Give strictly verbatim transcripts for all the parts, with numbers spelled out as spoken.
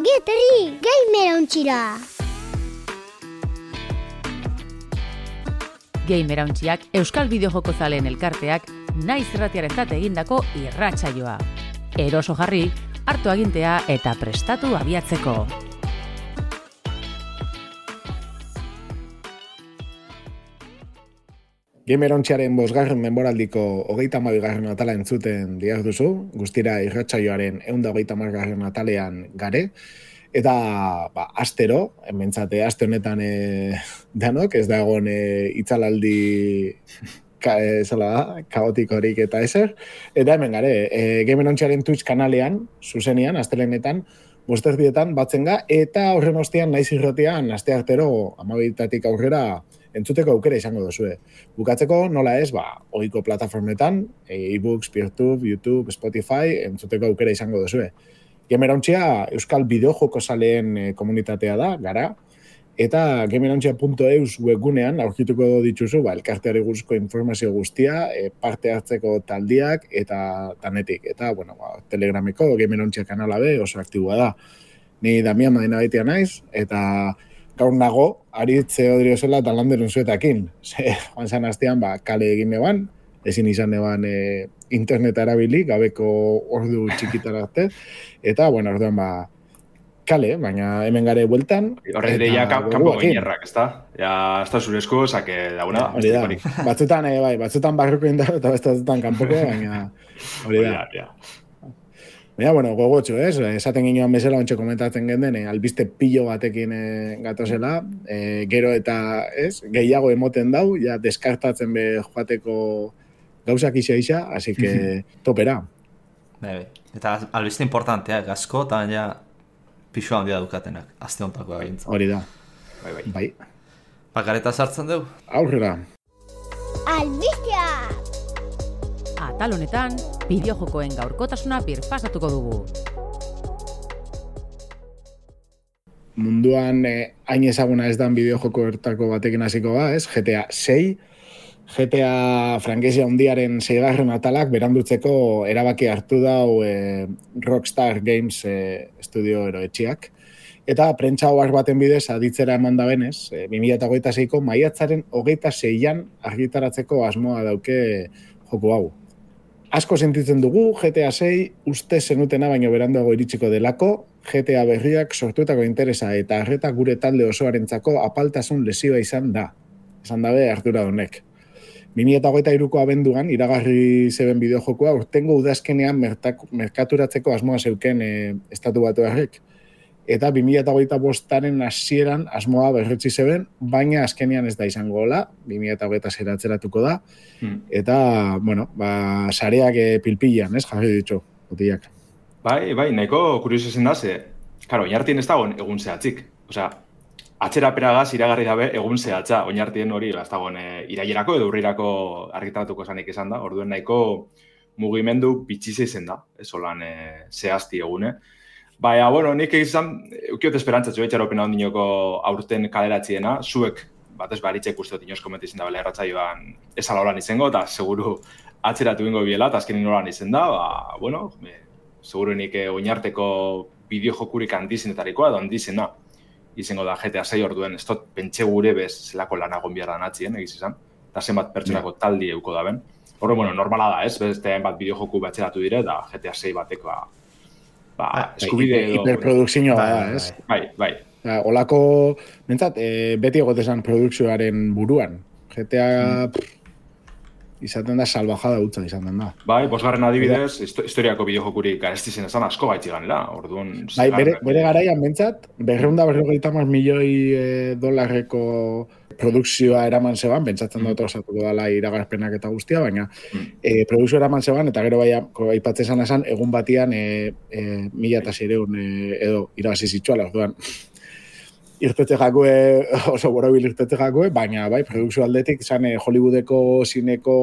Ongi etorri, Gamer Ontxira! Gamer Ontxiak Euskal Bideojoko zaleen elkarteak naiz irratiarentzat egindako irratsaioa. Eroso jarri, hartu agintea eta prestatu abiatzeko. Gamer Ontxiaren bosgarren menboraldiko hogeita hamabigarren atala entzuten diaz duzu, guztira irratsaioaren ehun eta hogeita hamargarren atalean gare, eta ba, astero, hementzate aste honetan e, danok, ez da egon e, itzalaldi ka, e, zela da, kaotikorik eta ezer, eta hemen gare, e, Gamer Ontxiaren Twitch kanalean, zuzenian, astelenetan, bosterdietan batzen ga, eta horren ostean naiz irratian, aste artero, amabitatik aurrera, entzuteko aukera izango duzue. Bukatzeko nola ez, ba, ohiko plataformetan, e-books, Peertube, YouTube, Spotify, entzuteko aukera izango duzue. Gamer Ontxia Euskal Bideojoko zaleen e, komunitatea da, gara, eta gamerontxia puntu eus webgunean aurkituko dituzu, ba, elkarteari guzko informazio guztia, e, parte hartzeko taldiak eta tanetik. Eta, bueno, ba, Telegrameko Gamer Ontxia kanala be oso aktiboa da. Ni Damian Madina baitia naiz, eta gaur nago, aritze odriozela eta landerun zuetakin. Ze, joan zan hastean, ba, kale egin neban, ezin izan neban e, interneta erabili, gabeko ordu txikitara arte, eta, bueno, orduan, ba, kale, baina hemen gare bueltan. Horre dire ja kanpo gainerrak, ez da? Ja, ez da zurezko, zake dauna da. Hori da, batzutan, e, bai, batzutan barruko indar, eta batzutan kanpoko, baina hori da. Ja, Baina, bueno, gogotxo, ez? Esaten ginoan bezala, ontsa komentatzen genden, albiste pilo batekin e, gatozela, e, gero eta, ez, gehiago emoten dau, ja, deskartatzen be joateko gauzak isa isa, así que topera. Bebe, eta albiste importantea, gazko, eta ja, pixo handia dukatenak, azte hontako agintza. Hori da. Bai, bai. Bai. Bakareta sartzen dugu? Aurrera. Albistea! Atal honetan, bideojokoen gaurkotasuna birpasatuko dugu. Munduan eh, hain ezaguna ez dan bideojoko ertako batekin hasiko ba, ez? G T A sei. G T A frankezia handiaren seigarren atalak berandutzeko erabaki hartu dau eh, Rockstar Games eh, estudio eroetxiak. Eta prentsa ohar baten bidez aditzera eman da benez, eh, bi mila hogeita seiko maiatzaren hogeita seian argitaratzeko asmoa dauke joko hau. Asko sentitzen dugu, G T A sei uste zenutena baino beranduago iritsiko delako, G T A berriak sortutako interesa eta arreta gure talde osoarentzako apaltasun lesioa izan da. Esan dabe Artura Donek. bi mila hogeita hiruko abenduan, iragarri zeben bideojokoa, urtengo udazkenean merkaturatzeko asmoa zeuken e, estatu batuarrek. Eta bi mila hogeita bostaren hasieran asmoa berretsi zeben, baina azkenean ez da izango gola, bi mila hogeita sei atzeratuko da, hmm. eta, bueno, ba, sareak e, pilpilan, ez, jarri ditu, botiak. Bai, bai, nahiko kurioso zen da, ze, karo, oinartien ez dagoen egun zehatzik. Osea, atzeraperagaz iragarri dabe egun zehatza, oinartien hori, ez dagoen e, irailerako edo urrirako argitaratuko zanik esan da, orduen nahiko mugimendu bitxize izen da, ez holan e, zehazti egune. Baina, bueno, nik egizan, eukiot esperantzatzu etxaropena ondinoko aurten kaleratziena, zuek, batez baritzek uste dut inoz komentizien da bela erratzaioan ez ala holan izango, eta seguru atzeratu ingo biela, eta azkenin holan izen da, ba, bueno, e, seguru nik e, oinarteko bideojokurik handizenetarikoa, edo handizena izango da G T A sei orduen, ez dut pentsa gure bez zelako lanagon behar da natzien, egiz izan, eta zenbat pertsonako taldi euko da ben. Horre, bueno, normala da, ez, beste bat bideojoku batzeratu dire, da G T A sei bateko, ba, eskubide edo... Hiperprodukzioa da, ez? Bai, bai. Olako, mentzat, e, beti egotezan produkzioaren buruan. G T A pff, izaten da salvajada utza izaten da. Bai, bosgarren adibidez, historiako bideojokurik garestizen esan asko baitzi ganela, orduan... Bai, bere, bere garaian mentzat, berreunda berrogeita hamar milioi e, dolarreko produkzioa eraman zeban, pentsatzen dut osatuko dela iragarpenak eta guztia, baina mm. e, produkzioa eraman zeban, eta gero bai, aipatzen zan esan, egun batian e, e, mila eta zireun e, edo irabazi zitsuala, orduan irtete jakue, oso borobil irtete jakue, baina bai, produkzio aldetik zan e, Hollywoodeko zineko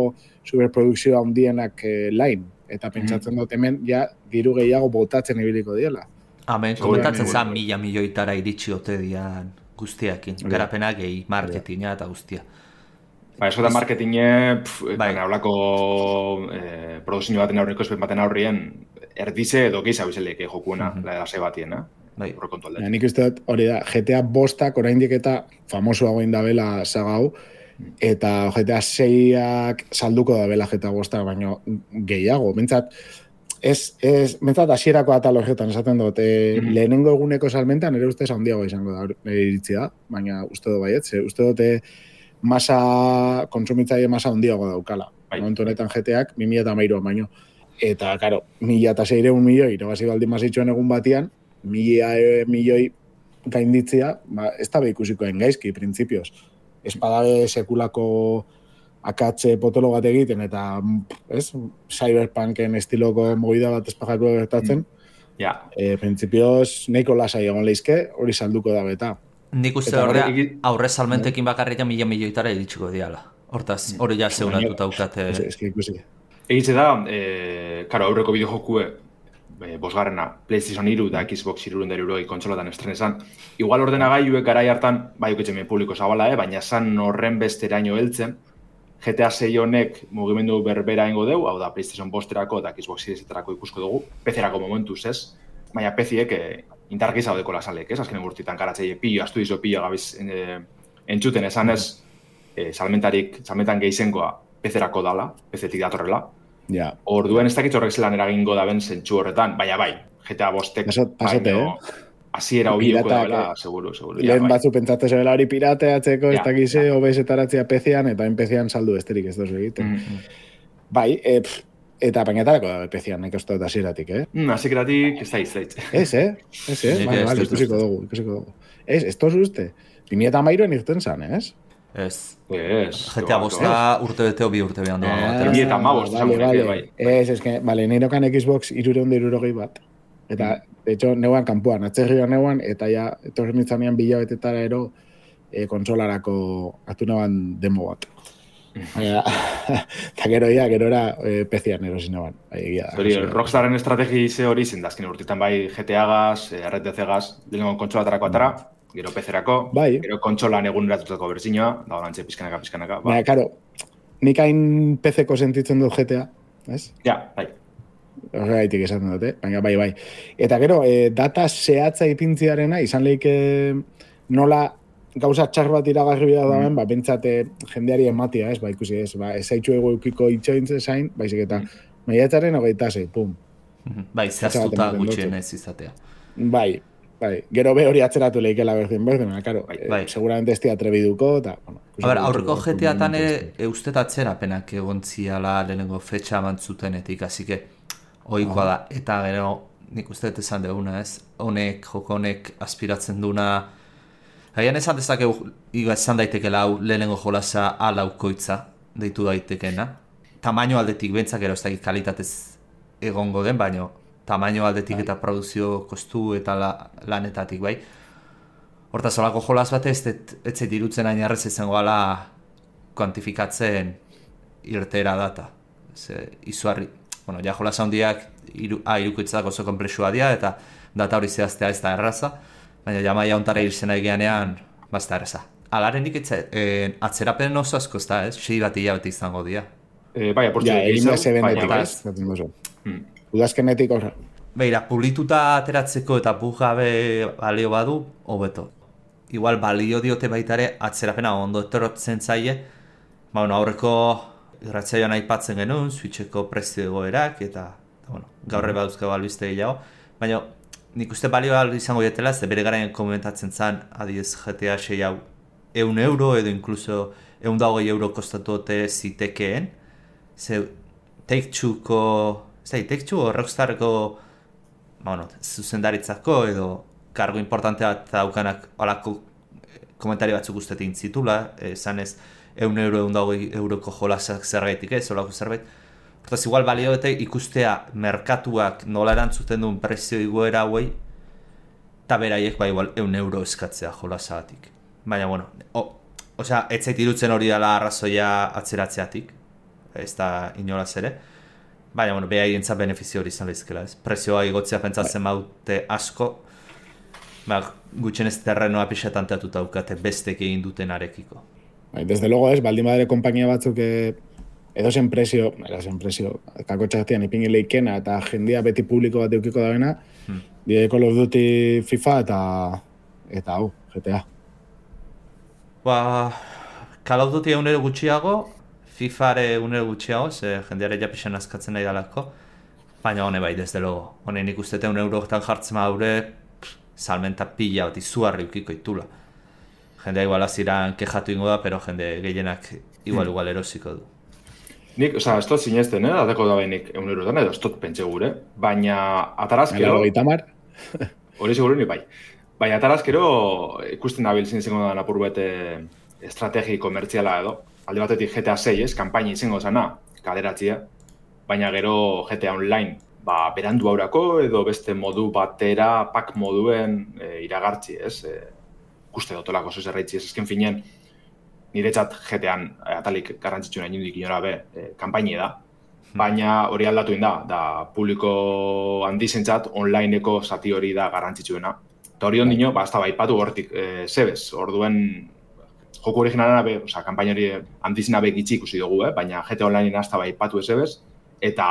superprodukzioa handienak e, lain, eta pentsatzen dut hemen ja diru gehiago botatzen ibiliko diela. Amen, komentatzen zan mila milioitara iritsi ote dian guztiakin, garapena gehi, marketinga eta guztia. Ba, eso da marketinge, baina hablako eh, produzio baten aurriko espen baten aurrien, erdize edo gehiza bizelek jokuena, mm-hmm. la edase batien, eh? bai. Horrekontu Ja, aldetik. nik uste dut, hori da, G T A bostak oraindik eta famosoago indabela saga hau, eta G T A seiak salduko da bela G T A bostak, baino gehiago. Bentsat, ez, ez, bentsat hasierako atal horretan esaten dut, e, Mhm. lehenengo eguneko salmentan nire ustez handiago izango da, nire iritzia, baina uste dut baiet, ze uste dute masa, kontsumitzaile masa handiago daukala. Bai. Momentu honetan G T Ak bi mila hamairuan baino. Eta, karo, mila eta seireun milioi, irabazi baldin mazitxuen egun batian, mila e, milioi gainditzia, ba, ez da ikusikoen gaizki, printzipioz. Ez badabe sekulako akatze potolo bat egiten, eta, ez, cyberpunken estiloko mogida bat espajako gertatzen, Ja, e, printzipioz, nahiko lasai egon leizke, hori salduko da beta. Nik uste Eta horrea, horrek- aurre salmentekin bakarrik ja mila milioitara iritsiko diala. Hortaz, hori ja zeunatuta daukate. Ez, ez, ikusi. egitze da, e, karo, aurreko bideojokue, e, bosgarrena, PlayStation hiru da Xbox hirurehun eta hirurogei kontsolatan estrenesan. Igual ordenagailuek garai hartan, bai ukitzen publiko zabala, eh? baina san horren besteraino heltzen, G T A sei honek mugimendu berbera ingo deu, hau da PlayStation bosterako eta Xbox Seriesetarako ikusko dugu, P C-erako momentuz ez, baina P C-ek e, indarrak izaudeko lasalek, ez? Azken gurtitan karatzeie pillo, astu izo pillo gabiz e, entzuten esan ez, e, salmentarik, salmentan gehizengoa P C-erako dala, P C-tik datorrela. Ja, Orduen ez dakit horrek zelan eragingo daben zentsu horretan, baina bai, G T A bostek, Pasot- pasote, baino, hasiera hobioko Piratak, dela, eh? seguru, seguru. lehen bai. batzu pentsatu zebela hori pirateatzeko, ez Ja, dakize, O B S-etaratzea P C-an, eta P C-an saldu besterik ez dozu egiten. Mm. Bai, e, pff, eta bainatarako da P C-an, nik uste dut hasieratik, eh? Mm, Hasieratik ez da izait. Ez, eh? Ez, eh? Nik Vale, ez vale, dut ikusiko uste. dugu, ikusiko dugu. Ez, ez tozu uste? bi mila hamairuan irten zan, ez? Ez. Ez. G T A bosta urte beteo bi urte behan doa. Ah, batera. bi eta hamabost, vale, esango nuke, vale. bai. Ez, ez, que, vale, nirekan Xbox irureun da irurogei bat. Eta, de hecho, neuan kanpuan, atzerrioan neuan, eta ja, etorri nintzanean bilabetetara ero e, konsolarako hartu neban demo bat. Baina, eta gero ia, gero era e, P C-an erosi neban. Bai, egia da. Hori, Rockstarren estrategi ze hori zen, dazken urtetan bai G T A-gaz, R T C-gaz, lehenengo kontsolatarako atara, gero P C-erako, Bai. gero kontsolan eguneratutako berzinoa, da horantxe pizkanaka, pizkanaka, ba. Baina, karo, nik hain P C-ko sentitzen dut G T A, ez? Ja, bai. Horregaitik esaten dut, eh? Baina, bai, bai. Eta gero, e, data zehatza ipintziarena, izan lehike nola gauza txar bat iragarri behar dauen, Mm. ba, bentsate jendeari ematia, ez, ba, ikusi ez, ba, ez haitxu eukiko itxointze zain, baizik eta Mm. maiatzaren hogeita zei, pum. Bai, zehaztuta ematen dut. gutxien ez izatea. Bai, bai. Gero be hori atzeratu lehikela berdin berdin, baina, karo, Bai, eh, bai. seguramente ez atrebiduko, eta, bueno. A ber, ikusiko aurreko dugu, G T A-tan momentu e, ustet atzerapenak egon ziala lehenengo fetxa mantzutenetik, así que ohikoa da. Eta gero, nik uste dut esan duguna, ez? Honek, joko honek aspiratzen duna. Haian esan dezakegu, iga esan daitekela hau lehenengo jolasa alaukoitza, deitu daitekena. Tamaino aldetik bentzak gero ez dakit kalitatez egongo den, baino tamaino aldetik eta produzio kostu eta la, lanetatik, bai. Hortaz, olako jolas bat ez, ez zait irutzen hain arrez izango ala kuantifikatzen irtera data. Ze, izuarri, bueno, ja jolas handiak iru, a, irukoitzak oso komplexua dira eta data hori zehaztea ez da erraza, baina jamaia ontara irzena egianean, bazta erraza. Alaren nik etxe, eh, atzerapen oso asko ez da, ez? Sei bat hilabete izango dira. E, bai, aportxo Ja, egin da zebendetik, bai. ez? Zaten duzu. Hmm. Udazkenetik horra. Beira, pulituta ateratzeko eta bug gabe balio badu, hobeto. Igual balio diote baitare atzerapena ondo etortzen zaie, ba, bueno, aurreko irratsaioan aipatzen genuen, Switcheko prezio egoerak, eta, eta bueno, gaurre baduzko albiste gehiago, baina nik uste balio izango dietela, ze bere garaien komentatzen zen, adiez G T A sei hau, eun euro edo inkluso eun da hogei euro kostatote zitekeen, ze Take-Two-ko, zei, Take-Two o Rockstarko, bueno, zuzendaritzako edo kargo importante bat daukanak alako komentari batzuk ustetin zitula, esan ez, eun euro, eun da hogei euroko jolasak zergaitik ez, olako zerbait. Hortaz, igual balio bete ikustea merkatuak nola erantzuten duen prezio igoera hauei, eta beraiek ba igual eun euro eskatzea jolasagatik. Baina, bueno, o, osea, ez zait irutzen hori dela arrazoia atzeratzeatik, ez da inolaz ere. Baina, bueno, behaientzat benefizio hori izan lehizkela, ez? Prezioa igotzea pentsatzen baute asko, ba, gutxen ez terrenoa pixetan teatuta daukate bestek egin duten arekiko. Bai, desde luego ez, baldin badere konpainia batzuk e, edo zen presio, era zen presio, kakotxaktian ipingi leikena eta jendia beti publiko bat eukiko da bena, hmm. die Call of Duty, FIFA eta eta hau, G T A. Ba, Call of Duty egunero gutxiago, FIFAre egunero gutxiago, ze jendeare ja pixan askatzen nahi dalako, baina hone bai, desde logo. Hone nik uste egun eurotan jartzen maure, salmenta pila bat izugarri ukiko itula. Jendea igual aziran kejatu ingo da, pero jende gehienak igual igual erosiko du. Nik, oza, ez dut zinezten, eh? Ateko da behinik egun eurotan, edo ez dut pentsa gure, baina atarazkero... Gaitamar? Hori seguru ni bai. Baina atarazkero ikusten dabil zinzengo da apur bete estrategi komertziala edo. Alde batetik G T A sei, ez, kanpaini izango zana, kaleratzia, baina gero G T A Online, ba, berandu aurako edo beste modu batera, pak moduen e, iragartzi, ez, e, ikuste dotolako zoz erraitzi, ez, ezken finean, niretzat G T An atalik garrantzitsuna inundik inora be, e, kanpaini da, baina hori aldatu inda, da publiko handizentzat onlineko zati hori da garrantzitsuena. Eta hori ondino, ba, ez da baipatu hortik e, zebez, orduen joku originalena be, oza, kanpaina hori handizena be gitxi ikusi dugu, eh? Baina G T A Online ez da baipatu ezebez, eta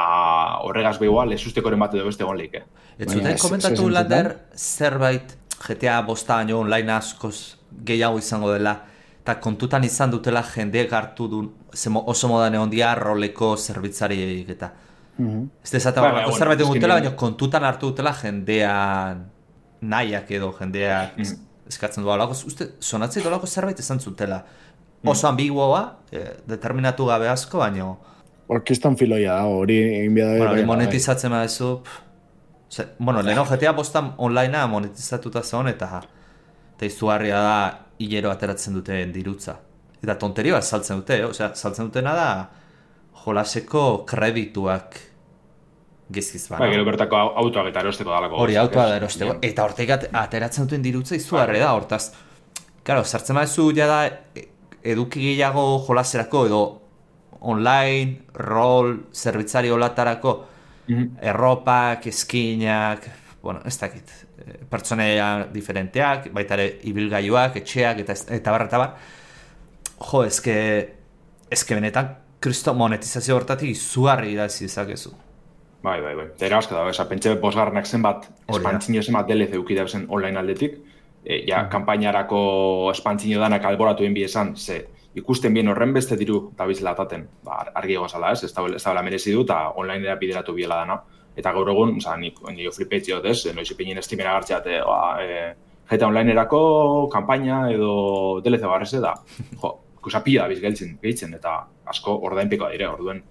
horregaz behoa lezustekoren bat edo beste egon leik, eh? Ez zuten komentatu, Lander, zerbait G T A bosta baino online askoz gehiago izango dela, eta kontutan izan dutela jendeek hartu du, oso modan egon dia roleko zerbitzariek eta. Mm-hmm. Ez dezata ba, bueno, zerbait egon dutela, baina kontutan hartu dutela jendean nahiak edo jendeak mm-hmm. eskatzen du alako. Uste, sonatzei dolako zerbait esan zutela. Oso ambiguoa, eh, determinatu gabe asko, baina... Orkestan filoia da, hori egin bida... Bueno, hori monetizatzen badezu... Bueno, leheno G T A bostan onlinea monetizatuta zeon eta eta izugarria da hilero ateratzen duten dirutza. Eta tonteria bat saltzen dute, eh? Osea, saltzen dutena da jolaseko kredituak gizkiz bana. Ba, gero bertako autoak eta erosteko dalako. Hori, autoak da erosteko. Eta hortek ateratzen duten dirutza izugarria da, hortaz. Claro, sartzen badezu ja da eduki gehiago jolaserako edo online, rol, zerbitzari olatarako, mm-hmm. erropak, eskinak, bueno, ez dakit, pertsoneia diferenteak, baita ere ibilgailuak, etxeak, eta, eta barra eta bar. Jo, ezke, ezke benetan, kristo monetizazio hortatik izugarri idazi dezakezu. Bai, bai, bai. Eta erabasko da, esa, pentsa bosgarrenak zenbat, espantzino zenbat D L C eukidea zen online aldetik, e, ja, mm-hmm. kanpainarako espantzino danak alboratu enbi esan, ze, ikusten bien horren beste diru dabizela ataten, ba, argi egozala ez, ez da merezi du, eta onlinera bideratu biela dana. Eta gaur egun, oza, nik nio flipetziot ez, noiz ipinien estimera gartxeat, e, e, G T A onlinerako kanpaina edo D L C barreze da, jo, kusapia dabiz gehitzen, gehitzen, eta asko ordainpikoa dire, orduen,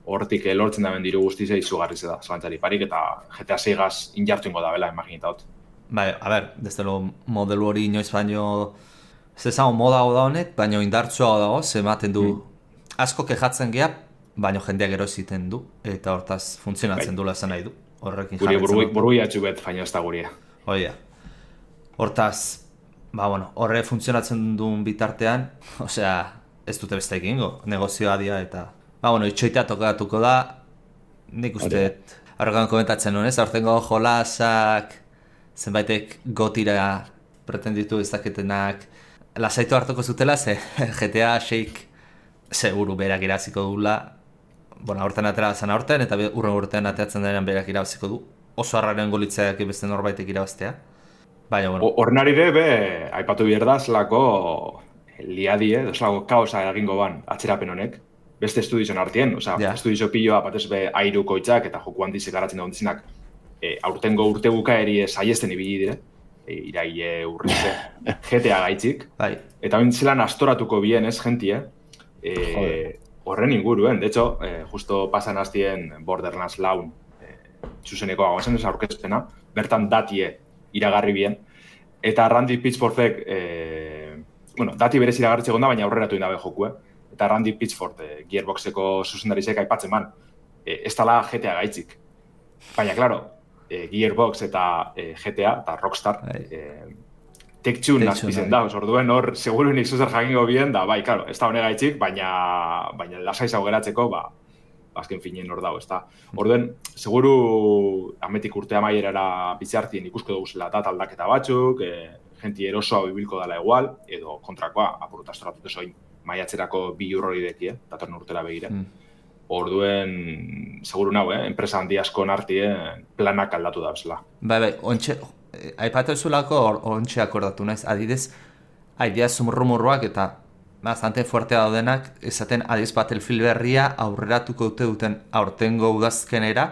hortik lortzen daben diru guztizea izugarrize da, zalantzari parik, eta G T A sei gaz injartu ingo da bela, imaginita hot. Bai, a ber, desde lo modelu hori inoiz baino, ez ezagun moda da honek, baina indartsua dago, ematen du, mm. asko kejatzen geha, baina jendeak erositen du, eta hortaz funtzionatzen dula zen nahi du. Horrekin jarretzen du. Guri burui atxubet, baina ez da guria. Oia. Hortaz, ba, bueno, horre funtzionatzen duen bitartean, osea, ez dute beste egingo, negozioa dia, eta, ba, bueno, itxoitea tokatuko da, nik uste, horrekan komentatzen nuen, ez, aurtengo jolasak, zenbaitek gotira pretenditu ez daketenak, lasaitu hartuko zutela, ze G T A seik seguru berak iraziko dula, bueno, aurten atera zen aurten, eta urren urtean ateratzen denean berak irabaziko du. Oso harraren golitzeak beste norbaitek irabaztea. Baina, bueno. Hornarire be, aipatu bierda, zelako liadie, zelako kaosa egingo ban atzerapen honek, beste estudizon artien, oza, yeah. Estudizo piloa batez be airuko itzak eta joku handizek garatzen da hondizinak, e, aurtengo urte bukaeri saiesten ibili dire, e, iraile urrize, G T A gaitzik, bai. Eta hain zelan astoratuko bien ez, gentie, e, horren inguruen, de hecho, e, justo pasan hastien Borderlands laun e, zuzeneko agozen ez aurkezpena, bertan datie iragarri bien, eta Randy Pitchfordek, e, bueno, dati berez iragarritze gonda, baina aurreratu indabe joku, eh? Eta Randy Pitchford, e, Gearboxeko zuzendarizek aipatzen man, e, ez tala G T A gaitzik. Baina, klaro, e, Gearbox eta e, G T A, eta Rockstar, e, Take-Two nazpizen da, orduen hor, seguru nik zuzer jakingo bien, da, bai, klaro, ez da hone gaitzik, baina, baina lasai zaugeratzeko, ba, azken finien hor dago, ez da. Orduen, seguru, ametik urtea maierara biziartien ikusko dugu zela da, aldaketa batzuk, e, jenti erosoa bibilko dela igual, edo kontrakoa, apurut astoratute zoin maiatzerako bi urrori deki, eh? datorren urtera begira. Mm. Orduen, seguru nago, eh? enpresa handi asko nartien planak aldatu da bezala. Bai, bai, ontxe, aipatu ezulako ontxe akordatu naiz, adidez, aidea zumurrumurroak eta bastante fuerte daudenak, esaten adiz Battlefield berria aurreratuko dute duten aurtengo udazkenera,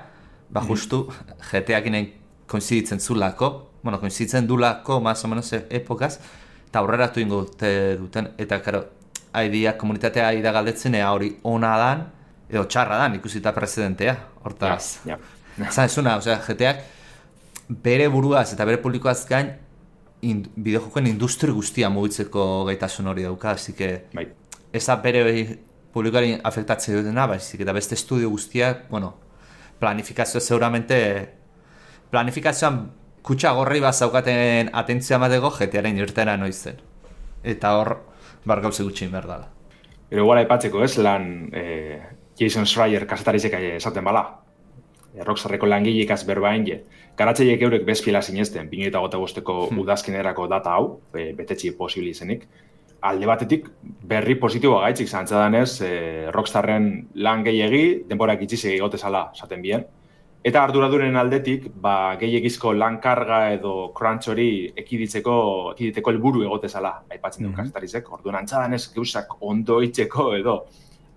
ba justu G T A-kinen koinziditzen zulako, bueno, koinziditzen dulako, más o menos epokaz, eta aurreratu ingo dute duten, eta karo, aidea komunitatea aida galdetzen ea hori ona dan, edo txarra dan, ikusita presidentea, hortaz. Ja, ja. Zan esuna, osea, G T A-k bere buruaz eta bere publikoaz gain, In, bideojokoen industri guztia mugitzeko gaitasun hori dauka, así que bai. Ez da bere publikoari afektatzen dutena, baizik eta beste estudio guztiak, bueno, planifikazioa seguramente, planifikazioan kutsa gorri bat zaukaten atentzia emateko G T A-ren irtera noizen. Eta hor, bar gauze gutxin behar dala. Pero igual aipatzeko ez, lan eh, Jason Schreier kasetarizek esaten bala. Rockstarreko langileikaz berbain je. Garatzaileek eurek bezpila sinezten, bi mila eta hogeita bosteko hmm. udazkenerako data hau, e, betetxi posibili izenik. Alde batetik, berri positiboa gaitzik zantzadanez, e, Rockstarren lan gehiegi, denborak itxizek egotezala, esaten bien. Eta arduraduren aldetik, ba, gehiegizko lan karga edo crunch hori ekiditzeko, ekiditeko helburu egotezala, aipatzen dut hmm. kasetarizek. Orduan antzadanez, geusak ondo itzeko edo,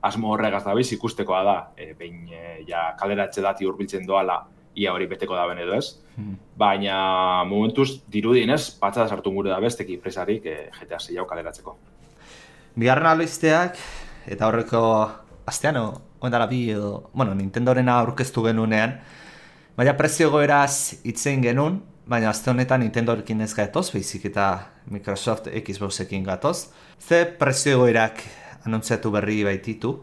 asmo horregaz dabiz ikustekoa da, e, behin e, ja kaleratze dati hurbiltzen doala, ia hori beteko da ben edo ez. Hmm. Baina momentuz dirudinez, patxada sartu gure da besteki presarik e, G T A sei hau kaleratzeko. Bigarren albisteak, eta horreko astean, oendara bi edo, bueno, Nintendorena aurkeztu genunean, baina prezio goeraz itzein genuen, baina azte honetan Nintendorekin ez gatoz, baizik eta Microsoft Xboxekin gatoz. Ze prezio goerak anuntziatu berri baititu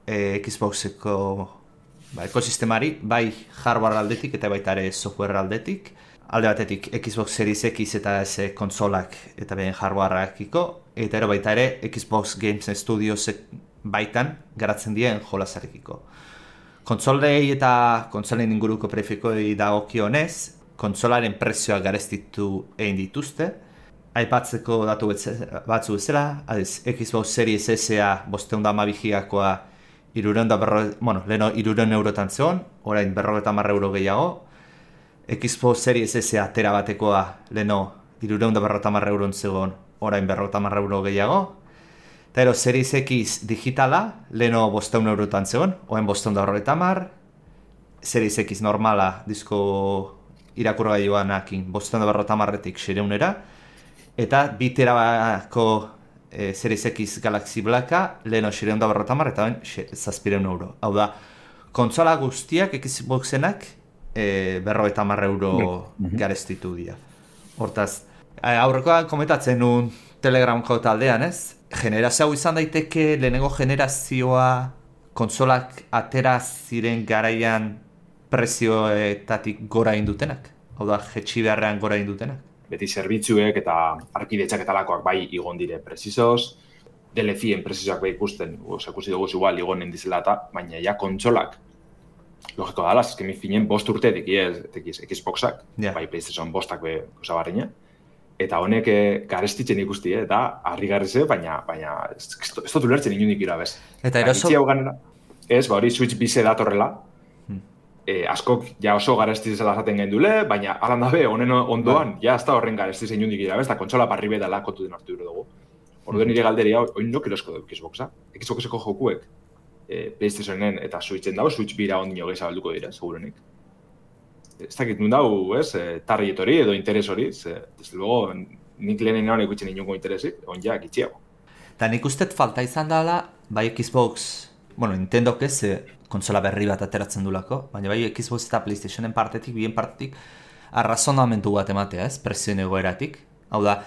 e, Xboxeko ba, ekosistemari, bai hardware aldetik eta baita ere software aldetik. Alde batetik Xbox Series X eta S konsolak eta behen hardwareakiko, eta ero baita ere Xbox Games Studios baitan garatzen dien jolasarekiko. Kontsolei eta kontsolen inguruko prefikoi dagokionez, kontsolaren prezioak garestitu egin dituzte. Aipatzeko datu batzu bezala, adiz, Xbox Series S-a bosteun da hamabigigakoa irureun da berro, bueno, leheno irureun eurotan zegoen, orain berrogeta hamar euro gehiago. Xbox Series S-a tera batekoa leheno irureun da berrogeta hamar euron zegoen, orain berrogeta hamar euro gehiago. Eta ero, Series X digitala, leheno bosteun eurotan zegoen, orain bosteun da berrogeta hamar. Series X normala, disko irakurgailuanakin, bosteun da berrogeta hamarretik sereunera. Eta bi terabako e, Series X Galaxy Blacka leheno xireun da berrota hamar eta ben zazpireun euro. Hau da, kontsola guztiak Xboxenak e, berrogeita hamar euro mm-hmm. garestitu dira. Hortaz, aurrekoan komentatzen nun Telegramko taldean, ez? Generazio hau izan daiteke lehenengo generazioa kontsolak atera ziren garaian prezioetatik gora indutenak. Hau da, jetxi beharrean gora indutenak. Beti zerbitzuek eta arkidetzak eta lakoak bai igon dire presizoz, D L C-en presizoak bai ikusten, ikusi dugu igual igonen dizela eta, baina ja kontsolak, logiko dala, eskemi finen bost urte tekiz Xboxak, yeah. bai PlayStation bostak be osabarrina, eta honek garestitzen ikusti, eta harri garrize, baina, baina ez dut ulertzen inundik ira bez. Eta eroso... Ez, ba hori Switch bize datorrela, E, askok ja oso garestiz zela zaten gendule, baina alan dabe, honen ondoan, ja ez da horren garestiz egin hundik ira, ez da kontsola parri bedala kontu den hartu dugu. Orduen nire galderia, oin nok erosko dugu Xboxa. Xboxeko jokuek e, PlayStationen eta Switchen dago, Switch bira ondino gehi zabalduko dira, segurenik. Ez dakit nun dago, ez, e, target hori edo interes hori, ez, desde luego, nik lehenen hori ikutzen inungo interesik, on ja, gitxiago. Eta nik ustet falta izan dela, bai Xbox, bueno, Nintendok ez, kontsola berri bat ateratzen dulako, baina bai Xbox eta PlayStationen partetik, bien partetik, arrazonamentu bat ematea, ez, prezioen egoeratik. Hau da,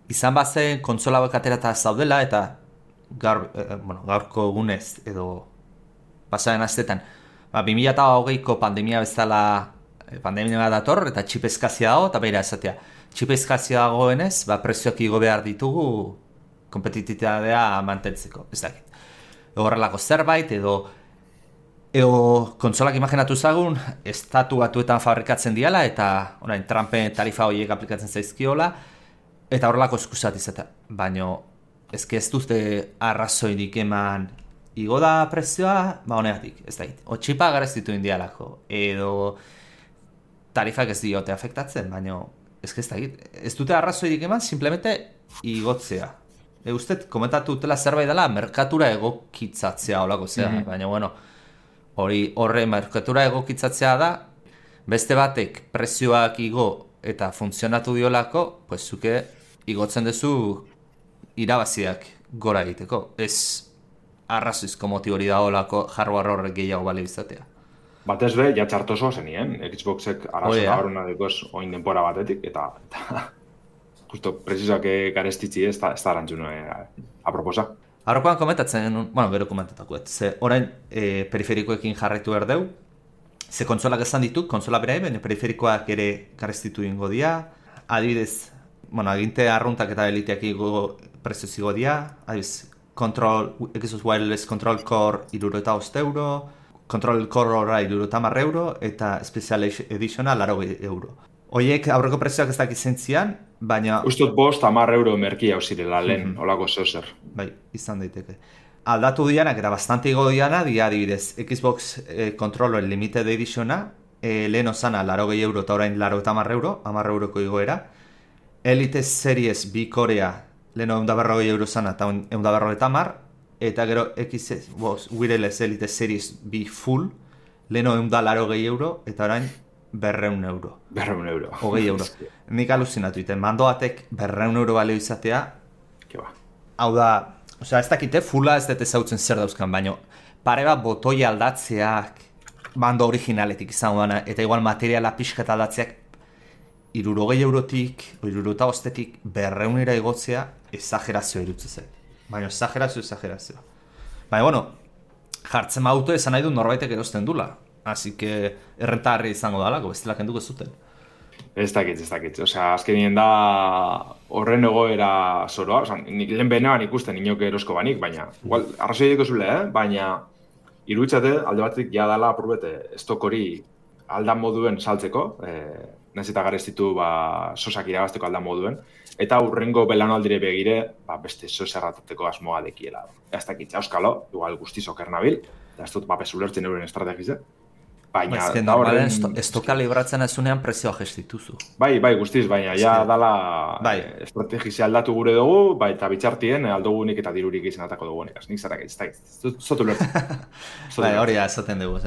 izan bazen kontsola bat aterata zaudela, eta gaur, eh, bueno, gaurko egunez, edo pasaren astetan, ba, bi mila hogeiko pandemia bezala, pandemia bat dator, eta txip eskazia dago, eta beira esatea, txip eskazia dagoenez, ba, prezioak igo behar ditugu, kompetititatea mantentzeko, ez dakit. Horrelako zerbait, edo Ego kontsolak imaginatu zagun, estatu batuetan fabrikatzen diala eta orain Trumpen tarifa horiek aplikatzen zaizkiola eta horrelako eskusat izatea. Baina ezke ez duzte arrazoirik eman igo da prezioa, ba honegatik, ez da hit. O txipa garestitu indialako, edo tarifak ez diote afektatzen, baina ezke ez da hit. Ez dute arrazoirik eman, simplemente igotzea. E, usted, komentatu dutela zerbait dela, merkatura egokitzatzea olako zea, mm-hmm. baina bueno, hori horre merkatura egokitzatzea da, beste batek prezioak igo eta funtzionatu diolako, pues zuke igotzen duzu irabaziak gora egiteko. Ez arrazoizko motibori da olako hardware horrek gehiago bale izatea. Batez be, ja txartoso zenien, Xboxek arazo gauruna dekoz oin denpora batetik, eta, eta justo precisoak garestitzi ez da, ez da arantzun eh, aproposa. Aurrekoan komentatzen, bueno, gero komentatako, ze orain e, periferikoekin jarraitu behar deu, ze kontsolak esan ditu, kontsola bera eben, periferikoak ere garestitu ingo dia, adibidez, bueno, aginte arruntak eta eliteak igo prezioz igo dia, adibidez, Control, Xbox Wireless Control Core irureta ost euro, Control Core horra irureta marre euro, eta Special Editiona laro euro. Oiek aurreko prezioak ez dakit zentzian, baina... Ustot bost amar euro merkia ausirela lehen, mm-hmm. olako zeuzer. Bai, izan daiteke. Aldatu dianak, eta bastante igo diana, dia adibidez, Xbox eh, Controller Limited Editiona, eh, lehen osana laro gehi euro eta orain laro eta amar euro, amar euroko igoera. Elite Series bi Korea, leheno egun da berrogei euro zana eta egun da berrogei eta amar, eta gero X Wireless Elite Series bi Full, leheno egun da laro gehi euro, eta orain berreun euro. Berreun euro. Hogei euro. Nik aluzinatu iten, mandoatek berreun euro balio izatea. Ke ba. Hau da, osea, ez dakite, fulla ez dut ezautzen zer dauzkan, baino pare bat botoi aldatzeak mando originaletik izan dana, eta igual materiala pixkat aldatzeak irurogei eurotik, irurota ostetik berreunera igotzea, exagerazioa irutzezek. Baina exagerazio, exagerazio. Baina, bueno, jartzen auto esan nahi du norbaitek erosten dula. Así que errentarri izango dalako, bestela kenduko zuten. Ez dakit, ez dakit. Osea, azkenien da horren egoera zoroa. Osea, lehen benean ikusten inok erosko banik, baina igual, arrazoi diko zule, eh? Baina iruditzate alde batik ja dala apurbete estok hori aldan moduen saltzeko, eh, nahiz eta garestitu ba, sosak irabazteko aldan moduen, eta hurrengo belanaldire begire ba, beste sos erratateko asmoa dekiela. Ez dakit, auskalo, igual guztiz oker nabil, eta ez dut papes ulertzen euren estrategize. Baina, ez da horren... Estoka libratzen ezunean prezioa gestituzu. Bai, bai, guztiz, baina ja dala bai. Estrategizia aldatu gure dugu, bai, eta bitxartien aldogunik eta dirurik izan atako dugunik. Nik zarak ez da, zotu ulertzen. Bai, hori da, esaten dugu.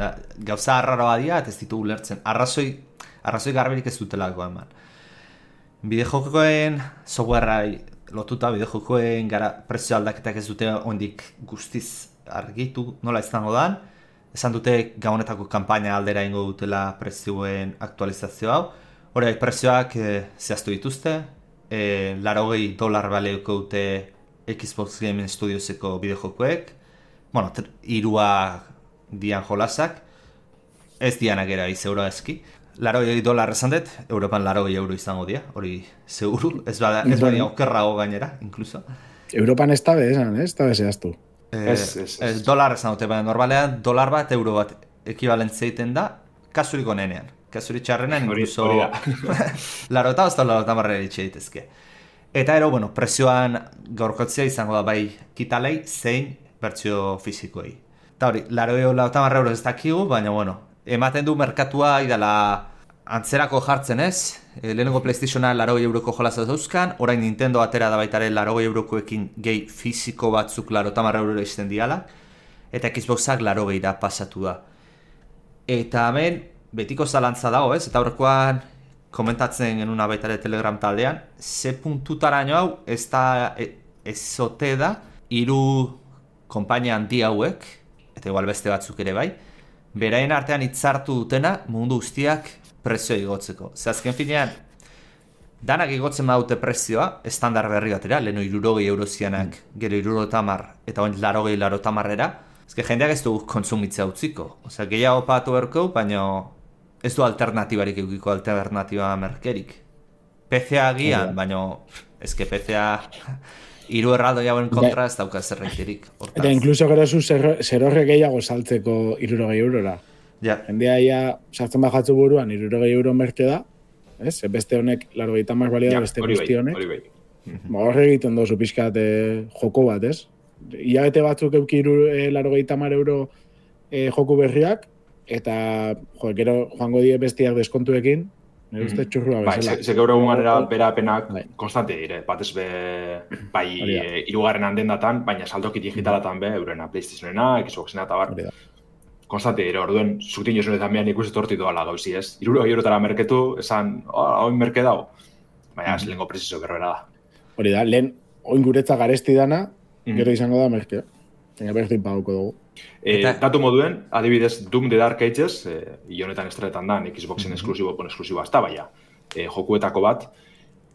Gauza arraroa dia, eta ez ditu ulertzen. Arrazoi, arrazoi garberik ez dutelako eman. Bideojokoen softwareai lotuta, bideojokoen gara prezio aldaketak ez dute ondik guztiz argitu, nola izango dan. Esan dute gaunetako kanpaina aldera ingo dutela prezioen aktualizazio hau. Hore, prezioak e, zehaztu dituzte. E, larogei dolar baleuko dute Xbox Gaming Studioseko bideojokoek. Bueno, irua dian jolasak. Ez dianak era izeura eski. Larogei dolar esan dut, Europan larogei euro izango dia. Hori seguru, ez bada, ez badia okerrago gainera, inkluso. Europan ez tabe esan, ez tabe zehaztu. Ez, ez, ez. Dolar esan dute, baina normalean dolar bat, euro bat ekibalentzia egiten da, kasurik onenean. Kasurik txarrenean, incluso... laro eta ozta laro eta marrera itxe ditezke. Eta ero, bueno, prezioan gaurkotzea izango da bai kitalei, zein bertsio fizikoei. Eta hori, laro eta marrera euro ez dakigu, baina, bueno, ematen du merkatua idala antzerako jartzen ez, e, lehenengo PlayStationa larogei euroko jolazaz dauzkan, orain Nintendo atera da baitare larogei eurokoekin gehi fiziko batzuk laro eta marra eurora izten diala, eta Xboxak larogei da pasatu da. Eta hemen, betiko zalantza dago ez, eta horrekoan komentatzen genuna baitare Telegram taldean, ze puntutaraino hau ez da, ez zote da, hiru konpainia handi hauek, eta igual beste batzuk ere bai, beraien artean hitzartu dutena mundu guztiak prezioa igotzeko. Ze azken finean, danak igotzen badute prezioa, estandar berri batera, leheno irurogei eurozianak, gero iruro tamar, eta oin larogei laro tamarrera, ezke jendeak ez du kontsumitzea utziko. Osea, gehiago patu berko, baina ez du alternatibarik eukiko alternatiba merkerik. P C A gian, baina ezke P C A hiru erraldo jauen kontra ez dauka zerreiterik. Eta inkluso gero zu zerorre gehiago saltzeko irurogei eurora. Ja. Jendea ia sartzen bajatzu buruan irurogei euro merke da, ez? Beste honek largogeita hamar balio da, beste guzti honek. ba, horre egiten dozu pixkat e, joko bat, ez? Iabete batzuk eukiru e, larogeita hamar euro e, joku berriak, eta jo, gero joango die bestiak deskontuekin, nire uste txurrua bai, bezala. ze, ze gaur egun ganera berapenak bai. konstante dire, batez be, bai, e, irugarren handen datan, baina saldoki digitalatan be, eurena, PlayStationena, Xboxena eta bar, konstante dire, orduen, zutin josunetan behan ikusi torti doala gauzi, ez? Iruro eurotara merketu, esan, oh, hau merke dago, baina, mm. lehenko presizo berbera da. Hori da, lehen, oin guretza garesti dana, mm. gero izango da merke. Baina berdin paguko dugu. E, datu moduen, adibidez, Doom The Dark Ages, e, ionetan estretan da, Xboxen mm-hmm. esklusibo, pon esklusibo azta, baina, e, jokuetako bat,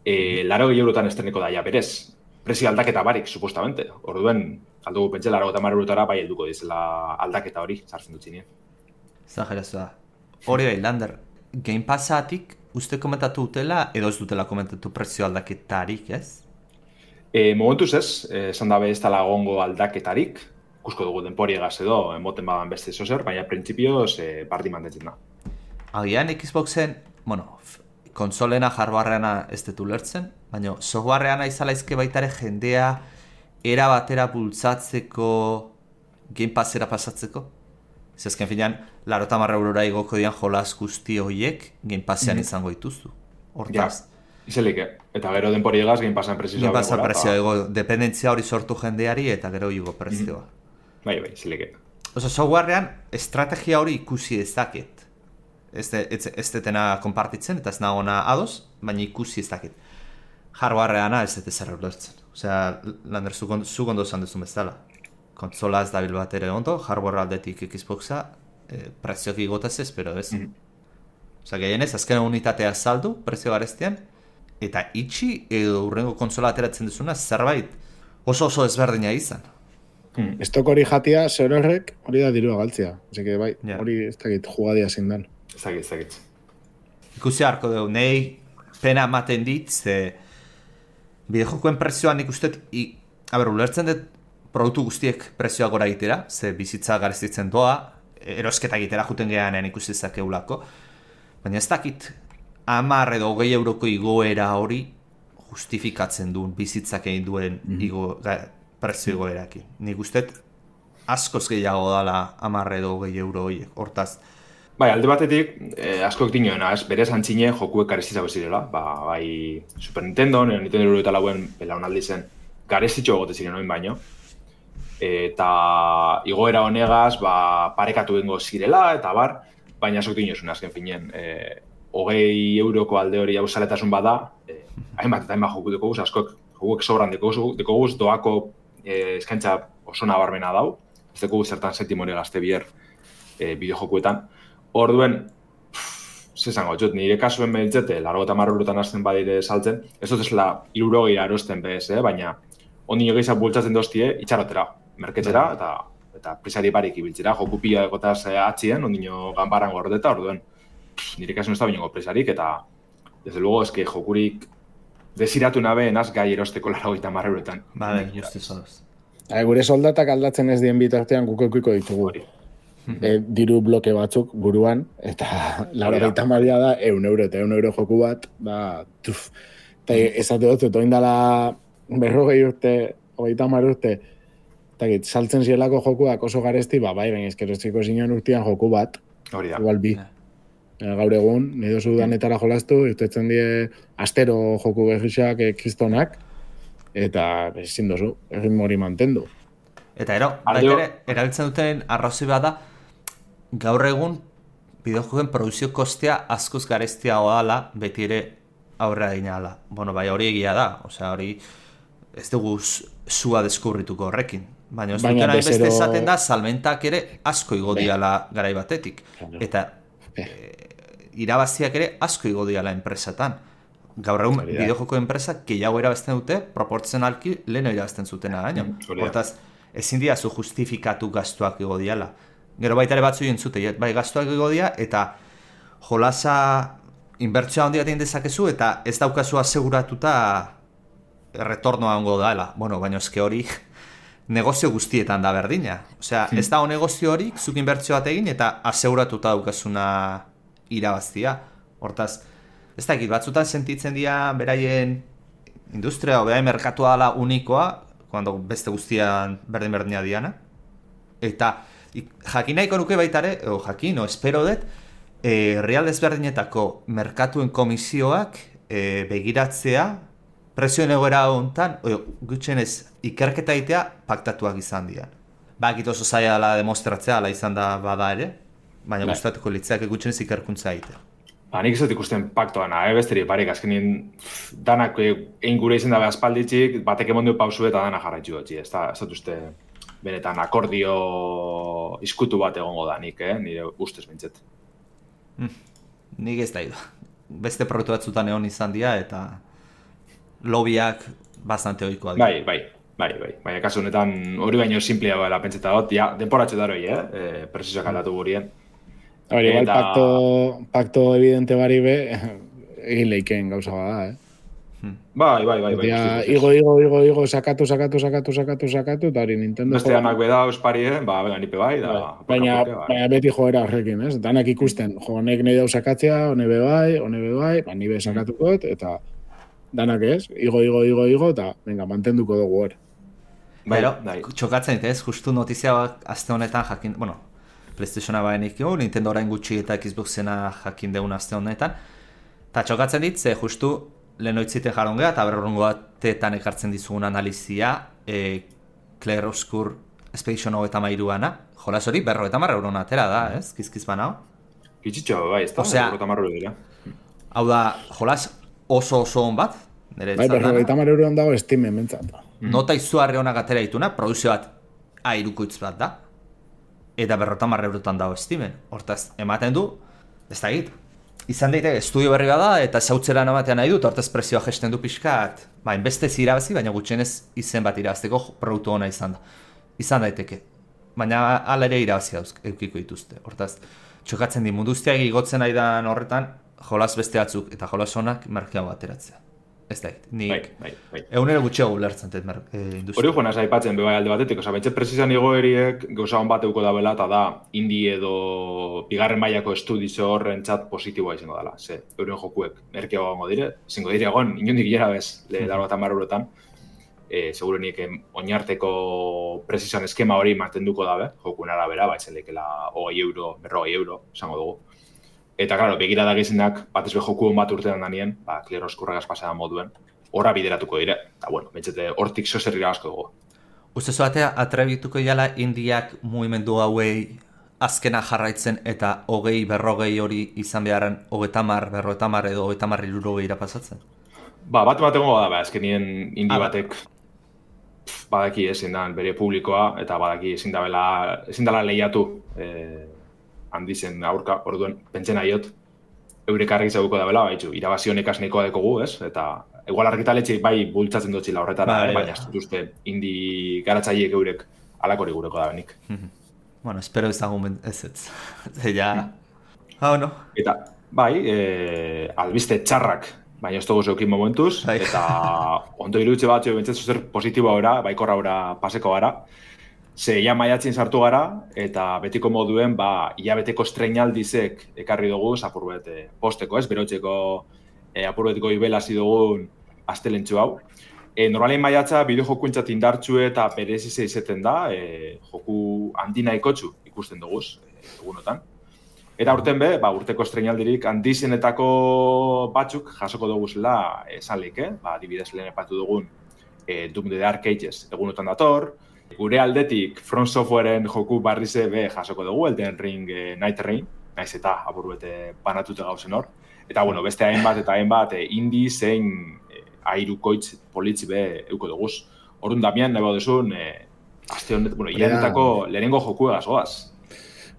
e, laro gehi eurotan estreneko daia berez. Prezio aldaketa barik, supostamente. Orduen, aldugu pentsa, laro eta mar eurotara, bai helduko dizela aldaketa hori, sartzen dut zinien. Zagerazu da. Hori bai, Lander, Game Passatik, uste komentatu dutela, edo ez dutela komentatu prezio aldaketarik, ez? E, momentuz ez, esan dabe ez dela gongo aldaketarik, ikusko dugu denporiegaz edo, moten badan beste zozer, baina printzipioz e, bardi mantentzen da. Agian Xboxen, bueno, konsolena hardwareana ez dut ulertzen, baina softwareana izalaizke baitare jendea era batera bultzatzeko Game Passera pasatzeko. Ez ezken finean, larota marra eurora igoko dian jolaz guzti horiek Game Passean mm-hmm. izango dituzu. Hortaz. Ja. Izelik, eta gero denpori egaz, Game Passan prezioa. Game Passan prezioa, ego, dependentzia hori sortu jendeari eta gero igo prezioa. Mm-hmm. Bai, bai, izelik. Oso, softwarean estrategia hori ikusi ezaket. Ez, ez, ez detena konpartitzen, eta ez nagona ados, baina ikusi ezaket. Hardwareana ez dut ezer ulertzen. Osea, Lander, zu gondo esan duzun bezala. Kontsola ez dabil bat ere ondo, hardware aldetik Xboxa, eh, prezioak igotaz ez, pero ez. Mm-hmm. Osea, gehienez, azken unitatea saldu, prezio garestian, eta itxi edo urrengo kontsola ateratzen duzuna zerbait oso oso ezberdina izan. Hmm. Estok hori jatia, zer horrek, hori da dirua galtzea. Ose que bai, yeah. hori ez dakit jugadia zindan. Ez dakit, ez dakit. Ikusi harko dugu, nahi pena ematen dit, ze bideojokoen prezioan nik uste, a ber, ulertzen dut produktu guztiek prezioa gora egitera, ze bizitza garestitzen doa, erosketa egitera juten gehanean ikusi zakeulako, baina ez dakit, hamar edo hogei euroko igoera hori justifikatzen duen bizitzak egin duen mm-hmm. igo, ga, prezio igoerakin. Nik usteet askoz gehiago dala hamar edo hogei euro horiek, hortaz. Bai, alde batetik, eh, askoek dinoena, ez, berez antzine jokuek garestizako zirela. Ba, bai, Super Nintendo, nire Nintendo eta lauen belaunaldi zen, garestitxo egote ziren oin baino. Eta igoera honegaz, ba, parekatu egingo zirela, eta bar, baina askok dinosun azken finen. Eh, hogei euroko alde hori hauzaletasun bada, eh, hainbat eta hainbat joku dekoguz, askok jokuek sobran dekoguz, doako eh, eskaintza oso nabarmena dau, ez dekoguz zertan sentimore gazte bier eh, bideojokuetan. Orduen, zezango, jot, nire kasuen behitzete, largo eta marrurutan hasten badire saltzen, ez dut ezela irurogeira erosten bez, eh? Baina ondino gehiago bultzatzen doztie, itxarotera, merketzera, eta, eta prisari barik ibiltzera, joku pila egotaz atzien, ondino ganbaran gordeta, orduen, nire kasuen ez da binongo prisarik, eta desde luego, eske jokurik desiratu nabe enaz gai erosteko largo eta marrurutan. Bale, justiz odoz. Gure soldatak aldatzen ez dien bitartean kuko-kuko ditugu. E, diru bloke batzuk buruan, eta laro gaita maria da, eun euro eta eun euro joku bat, ba, tuf. Eta ezate dut, eta oindala berrogei urte, hogeita hamar urte, eta git, saltzen zielako jokuak oso garesti, ba, bai, baina ezkeroziko zinean urtean joku bat, hori da. Igual bi. Yeah. Gaur egun, nire dozu danetara jolastu, irtetzen die astero joku berrixak kristonak, eta ezin dozu, egin mori mantendu. Eta ero, baita ere, erabiltzen duten arrazoi bat da, gaur egun bideojokoen produzio kostea askoz garestiagoa dela, beti ere aurrera dinala. Bueno, bai, hori egia da, osea, hori ez dugu zua deskubrituko horrekin. Baina ez duten hain beste esaten da, salmentak ere asko igo diala garai batetik. Eta e, irabaziak ere asko igo diala enpresatan. Gaur egun bideojoko enpresak gehiago irabazten dute, proportzionalki leheno irabazten zutena gaino. Hortaz, ezin dira zu justifikatu gastuak igo diala. Gero baita ere batzu jentzute, bai gastuak igo dira, eta jolasa inbertsioa handia egin dezakezu, eta ez daukazu aseguratuta retornoa ongo dela. Bueno, baina eske hori negozio guztietan da berdina. Osea, ez dago negozio hori, zuk inbertsio bat egin, eta aseguratuta daukazuna irabaztia. Hortaz, ez dakit, batzutan sentitzen dira beraien industria, obea merkatua dela unikoa, cuando beste guztian berdin-berdina diana. Eta jakin nahiko nuke baitare, o jakin, o espero dut, e, real desberdinetako merkatuen komisioak e, begiratzea, prezioen egoera hontan, gutxenez ikerketa egitea paktatuak izan dian. Bakit oso zaila dela demostratzea, ala izan da bada ere, baina bai. Gustatuko litzeak gutxenez ikerkuntza egitea. Ba, nik ez dut ikusten paktoana, eh, besteri, barik, azkenien danak egin gure izan dabe aspalditxik, batek emondu pausu eta dana jarraitzu dutxi, ez da, ez dut uste benetan akordio izkutu bat egongo da nik, eh, nire ustez bintzet. Mm, nik ez da idu. Beste proiektu batzutan egon izan dira eta lobiak bastante ohikoa dira. Bai, bai, bai, bai. Baina kasu honetan hori baino simplea bela pentseta dut, ja, denporatxo daroi, eh, e, presizoak aldatu gurien. Hori, igual pacto, pacto evidente bari be, egin leikeen gauza bada, eh? Bai, bai, bai. bai ja, igo, igo, igo, igo, sakatu, sakatu, sakatu, sakatu, sakatu, eta hori Nintendo... Beste danak beda osparien, ba, bega nipe bai, da... Bai. Baina, poka, baina beti joera horrekin, ez? Danak ikusten, jo, honek nahi dau sakatzea, hone be bai, hone be bai, ba, nibe sakatukot, eta danak ez, igo, igo, igo, igo, eta, venga, mantenduko dugu hor. Pero, bai. Txokatzen dit ez, justu notizia aste honetan jakin, bueno, PlayStationa baenik jo, Nintendo orain gutxi eta Xboxena jakin deun aste honetan, eta txokatzen dit, ze justu lehenoitziten jaron geha, eta berrorungo batetan ekartzen dizugun analizia, e, Claire Obscur Expedition hogeita mairuana, jolas hori berrogeita marra euron atera da, ez? Kizkiz banao. Gitxitxo, bai, ez da, berrogeita marra dira. Hau da, jolas oso oso on bat, nire bai, berrogeita marra euron dago estimen mentzat. Nota izugarri honak atera dituna, produzio bat airukoitz bat da, eta berrogeita marra eurotan dago estimen. Hortaz, ematen du, ez da egit. Izan daiteke, estudio berri bada eta zautzera namatean nahi dut, hortaz prezioa gesten du pixkat, ba, inbestez irabazi, baina gutxienez izen bat irabazteko produktu ona izan da. Izan daiteke, baina ala ere irabazi dauz, eukiko dituzte. Hortaz, txokatzen di munduztiak igotzen aidan horretan, jolas beste batzuk eta jolas honak merkeago ateratzea. Ez da, nik bai, bai, bai. Egunero gutxeago ulertzen dut e, industria. Hori joan aipatzen bebai alde batetik, oza, betxe prezizan igoeriek gauza hon bat euko da bela, eta da, indie edo bigarren mailako estudizo horren txat positiboa izango dela. Ze, euren jokuek merkeago gongo dire, zingo dire egon, inondik gera bez, le daro eta marruretan, e, segurenik oinarteko prezizan eskema hori mantenduko dabe, jokuen arabera, ba, etzelekela hogei euro, berrogei euro, esango dugu. Eta, klaro, begira da gizenak, bat ezbe joku hon bat urtean danien, ba, Claire Obscurragaz pasadan moduen, horra bideratuko dire. Eta, bueno, bentsete, hortik zozer irabazko dugu. Uste zoatea, atrebituko jala indiak mugimendu hauei azkena jarraitzen eta hogei, berrogei hori izan beharren hogeita mar, berrogeita mar edo hogeita mar irurogei irapasatzen? Ba, bat bat egongo da, ba, azkenien indi ah, batek pf, badaki ezin da bere publikoa, eta badaki ezin dela, ezin dela lehiatu eh, handizen aurka, orduen, pentsen aiot, eurek argi zauko da bela, baitzu, irabazionek asneikoa dekogu, ez? Eta, igual argitaletxe bai bultzatzen dutxila horretara, ba, baina ez duzte indi garatzaileek eurek alakori gureko da benik. Bueno, espero ezagun ez ez. Ja, hau no? Eta, bai, e, albiste txarrak, baina ez dugu zeukin momentuz, bai. Eta ondo iruditze bat, bentsatzu zer positiboa ora, baikorra ora paseko gara, ze ja maiatzen sartu gara, eta betiko moduen, ba, hilabeteko estreinaldizek ekarri dugu, apurbet e, posteko, ez, berotzeko e, apurbetiko ibelazi dugun astelentxu hau. E, Normalien maiatza, bideo jokuentzat indartxu eta berezize izeten da, e, joku handina ikotxu ikusten dugu, e, egunotan. Eta urten be, ba, urteko estreinaldirik handizenetako batzuk jasoko dugu zela esan leke, ba, adibidez lehen epatu dugun e, Doom the Dark Ages egunotan dator, gure aldetik From Softwareen joku barrize be jasoko dugu, Elden Ring e, Night Rain, naiz eta apurbete banatute gauzen hor. Eta, bueno, beste hainbat eta hainbat e, indie zein e, airukoitz politzi be euko duguz. Horun damian, nahi baudezun, e, azte honet, bueno, iranetako lehenengo joku egaz goaz.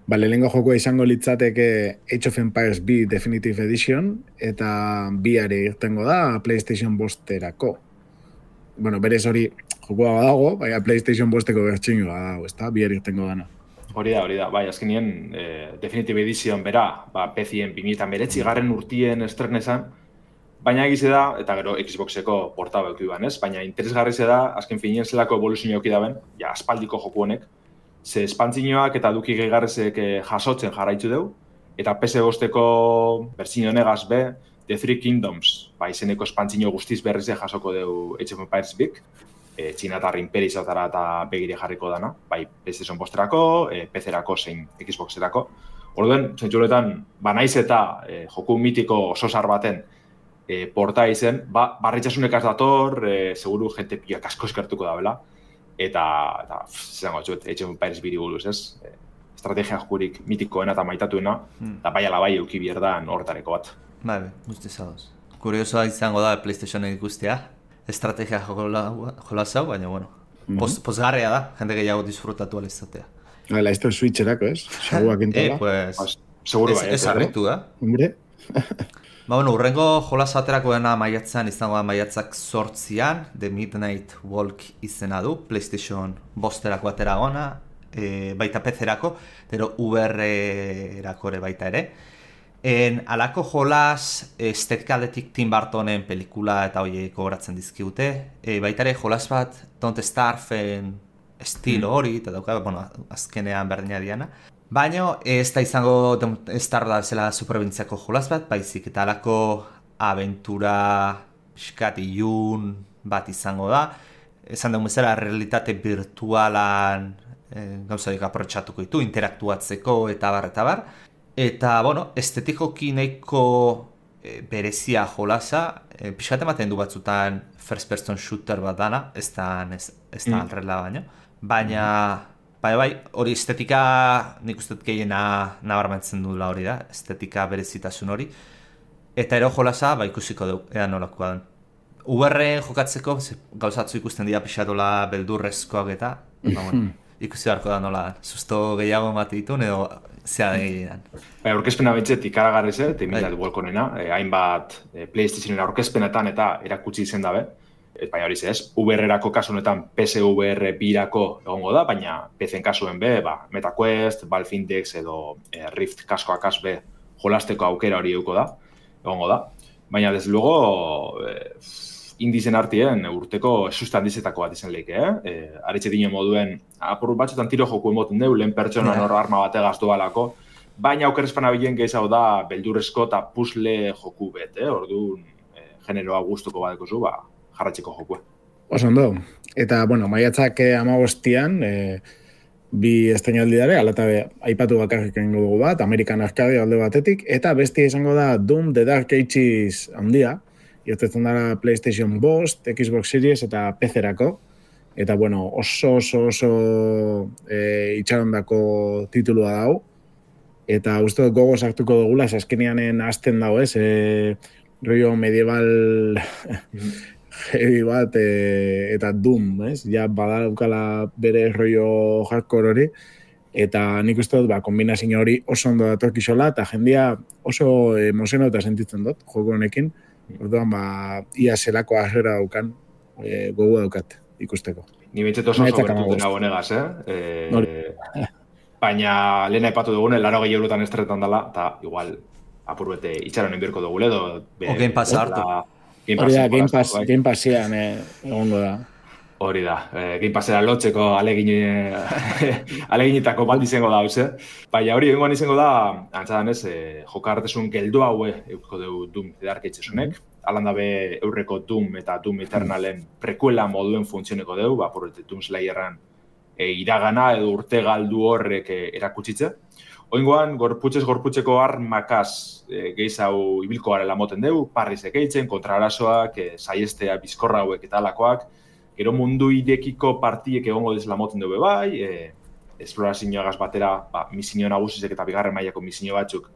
Ba, lehenengo jokua izango litzateke Age of Empires bi Definitive Edition, eta biare irtengo da PlayStation bosterako. Bueno, berez hori jokua badago, baina PlayStation bosteko bertxingo badago, ez da, biare irtengo dana. Hori da, hori da, bai, azkenien eh, Definitive Edition bera, ba, P C-en bi mila hemeretzi garren urtien estrenesan, baina egize da, eta gero Xboxeko portaba euki ban, ez? Baina interesgarri ze da, azken finien zelako evoluzio euki daben, ja, aspaldiko joku honek, ze espantzinoak eta duki gehigarrezek eh, jasotzen jarraitzu deu, eta P C bosteko bertsio honegaz be, The Three Kingdoms ba, izeneko espantzino guztiz berriz jasoko dugu Age of Empires bik, e, txinatar imperizatara eta begire jarriko dana, bai PlayStation posterako, e, P C-erako zein Xbox-erako. Orduen, zentzuletan, ba naiz eta e, joku mitiko oso zar baten e, porta izen, ba, barritxasunek az dator, e, seguru jente pilak asko eskertuko da bela, eta, eta zango txuet, Age of Empires biri buruz, ez? E, estrategia jokurik mitikoena eta maitatuena, eta hmm. bai ala bai euki bierdan hortareko bat. Bai, guztiz adoz. Kuriosoa izango da PlayStationen ikustea, estrategia jola zau, baina, bueno, mm-hmm. post, postgarria da, jende gehiago disfrutatu alizatea. Hala, esto es Switcherako, ez? Seguruak Eh, entola. pues, seguro bai. Ez harritu, da? Hombre. Ba, bueno, urrengo jolas aterako dena maiatzan izango da maiatzak sortzian, The Midnight Walk izena du, PlayStation bosterako atera gona, e, baita P C-erako, pero U R-erako ere baita ere. En alako jolas estetikaletik Tim Burtonen pelikula eta hoiek gogoratzen dizkigute, e, baita ere jolas bat Don't Starven estilo hori, eta dauka, bueno, azkenean berdina diana. Baina ez da izango Don't Starve da bezala superbintziako jolas bat, baizik eta alako aventura pixkat ilun bat izango da. Esan dugu bezala realitate virtualan e, gauzadik aprotxatuko ditu, interaktuatzeko eta bar, eta bar. Eta, bueno, estetikoki nahiko e, berezia jolasa, e, pixkat ematen du batzutan first person shooter bat dana, ez da, ez, ez da mm. alrela baino. Baina, bai, bai, hori estetika nik uste gehiena nabarmentzen dula hori da, estetika berezitasun hori. Eta ero jolasa, ba, ikusiko dugu, ea nolakoa den. U R jokatzeko, gauzatzu ikusten dira pixatola beldurrezkoak eta, ba, bueno, ikusi beharko da nola, susto gehiago emate ditun edo zea egin. Bai, aurkezpena bentzet ikaragarriz, eta imilat Walkonena, eh, hainbat eh, PlayStationen aurkezpenetan eta erakutsi izen dabe. Et, baina hori ez, U R-erako kasu honetan P S V R birako egongo da, baina P C-en kasuen be, ba, MetaQuest, Valve Index edo eh, Rift kaskoak kas be jolasteko aukera hori euko da, egongo da. Baina, desde luego, eh, indizen artien urteko esustan dizetako bat izan lehike, eh? eh Aritxe dine moduen, apur batzutan tiro joku emoten deu, lehen pertsona yeah. arma bategaz doalako, baina aukerrezpan abilen gehiago da beldurrezko eta puzzle joku bet, eh? Orduan, eh, generoa gustuko badeko zu, ba, jarratxeko jokua. Osondo. Eta, bueno, maiatzak amabostian, eh, bi estainaldi dare, alata aipatu bakarrik egingo dugu bat, American Arcade alde batetik, eta bestia izango da Doom The Dark Ages handia, iotetzen dara PlayStation bost, Xbox Series eta P C-erako. Eta, bueno, oso, oso, oso e, itxarondako titulua dau. Eta uste dut gogo sartuko dugula, azkenean hasten dago, ez? E, rollo medieval heavy bat e, eta Doom, ez? Ja, badaukala bere rollo hardcore hori. Eta nik uste dut, ba, kombinazio hori oso ondo datorkizola, eta jendia oso emozionauta sentitzen dut, joko honekin. Orduan, ba, ia zelako harrera daukan, e, gogo daukat ikusteko. Ni bentset oso oso bertu dena honegaz, eh? E, baina, lehen aipatu dugune, laro gehi eurotan estretan dela, eta igual, apur bete itxaron enbierko dugule, edo... O Game Pass hartu. Hori da, Game Pass, Game Passian egongo da. Hori da, eh, Game Passera lotzeko alegin, aleginetako baldi izango da, hauze. Baina hori egongoan izango da, antzadan ez, eh, jokartesun geldo haue eusko dugu Doom The Dark Agesunek. Alan dabe eurreko Doom eta Doom Eternalen prekuela moduen funtzioneko dugu, ba, porrete Doom Slayerran e, iragana edo urte galdu horrek e, erakutsitze. Oingoan, gorputxez gorputxeko armakaz e, gehiago ibilko garela moten dugu, parrizek eitzen, kontrarasoak, e, saiestea bizkorra hauek eta alakoak, gero mundu idekiko partiek egongo dizela moten dugu bai, e, esplorazioagaz batera, ba, misinio nagusizek eta bigarren mailako misinio batzuk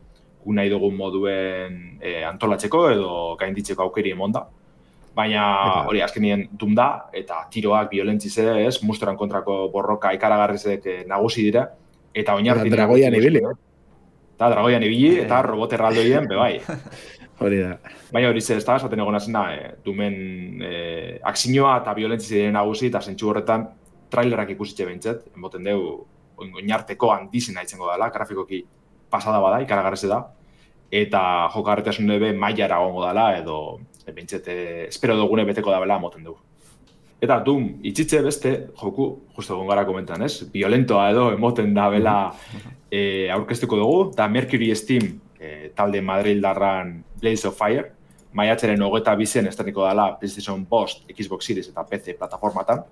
gu nahi dugun moduen e, antolatzeko edo gainditzeko aukeri emonda. Baina hori azkenien Doom da, eta tiroak, violentzize, ez, mustoran kontrako borroka ikaragarrizek e, nagusi dira, eta oinartin... Eta dragoian ibili. Eta dragoian ibili, eta robot erraldoien, be bai. Hori da. Baina hori ze, ez da, esaten egon azena, e, Doomen e, aksinioa eta violentzize diren nagusi, eta zentsu horretan trailerak ikusitxe behintzet, emoten dugu oinarteko handizena itzengo dela, grafikoki pasada bada, ikaragarrize da, eta jokarretasun be mailara gongo dela, edo e, behintzet, e, espero dugune beteko da bela moten dugu. Eta Doom, itxitze beste, joku, justo egon gara komentan, ez? Violentoa edo emoten da bela e, aurkeztuko dugu, da Mercury Steam e, talde Madrildarran Blaze of Fire, maiatzaren hogeita bizen estreniko dela PlayStation bost, Xbox Series eta P C plataformatan.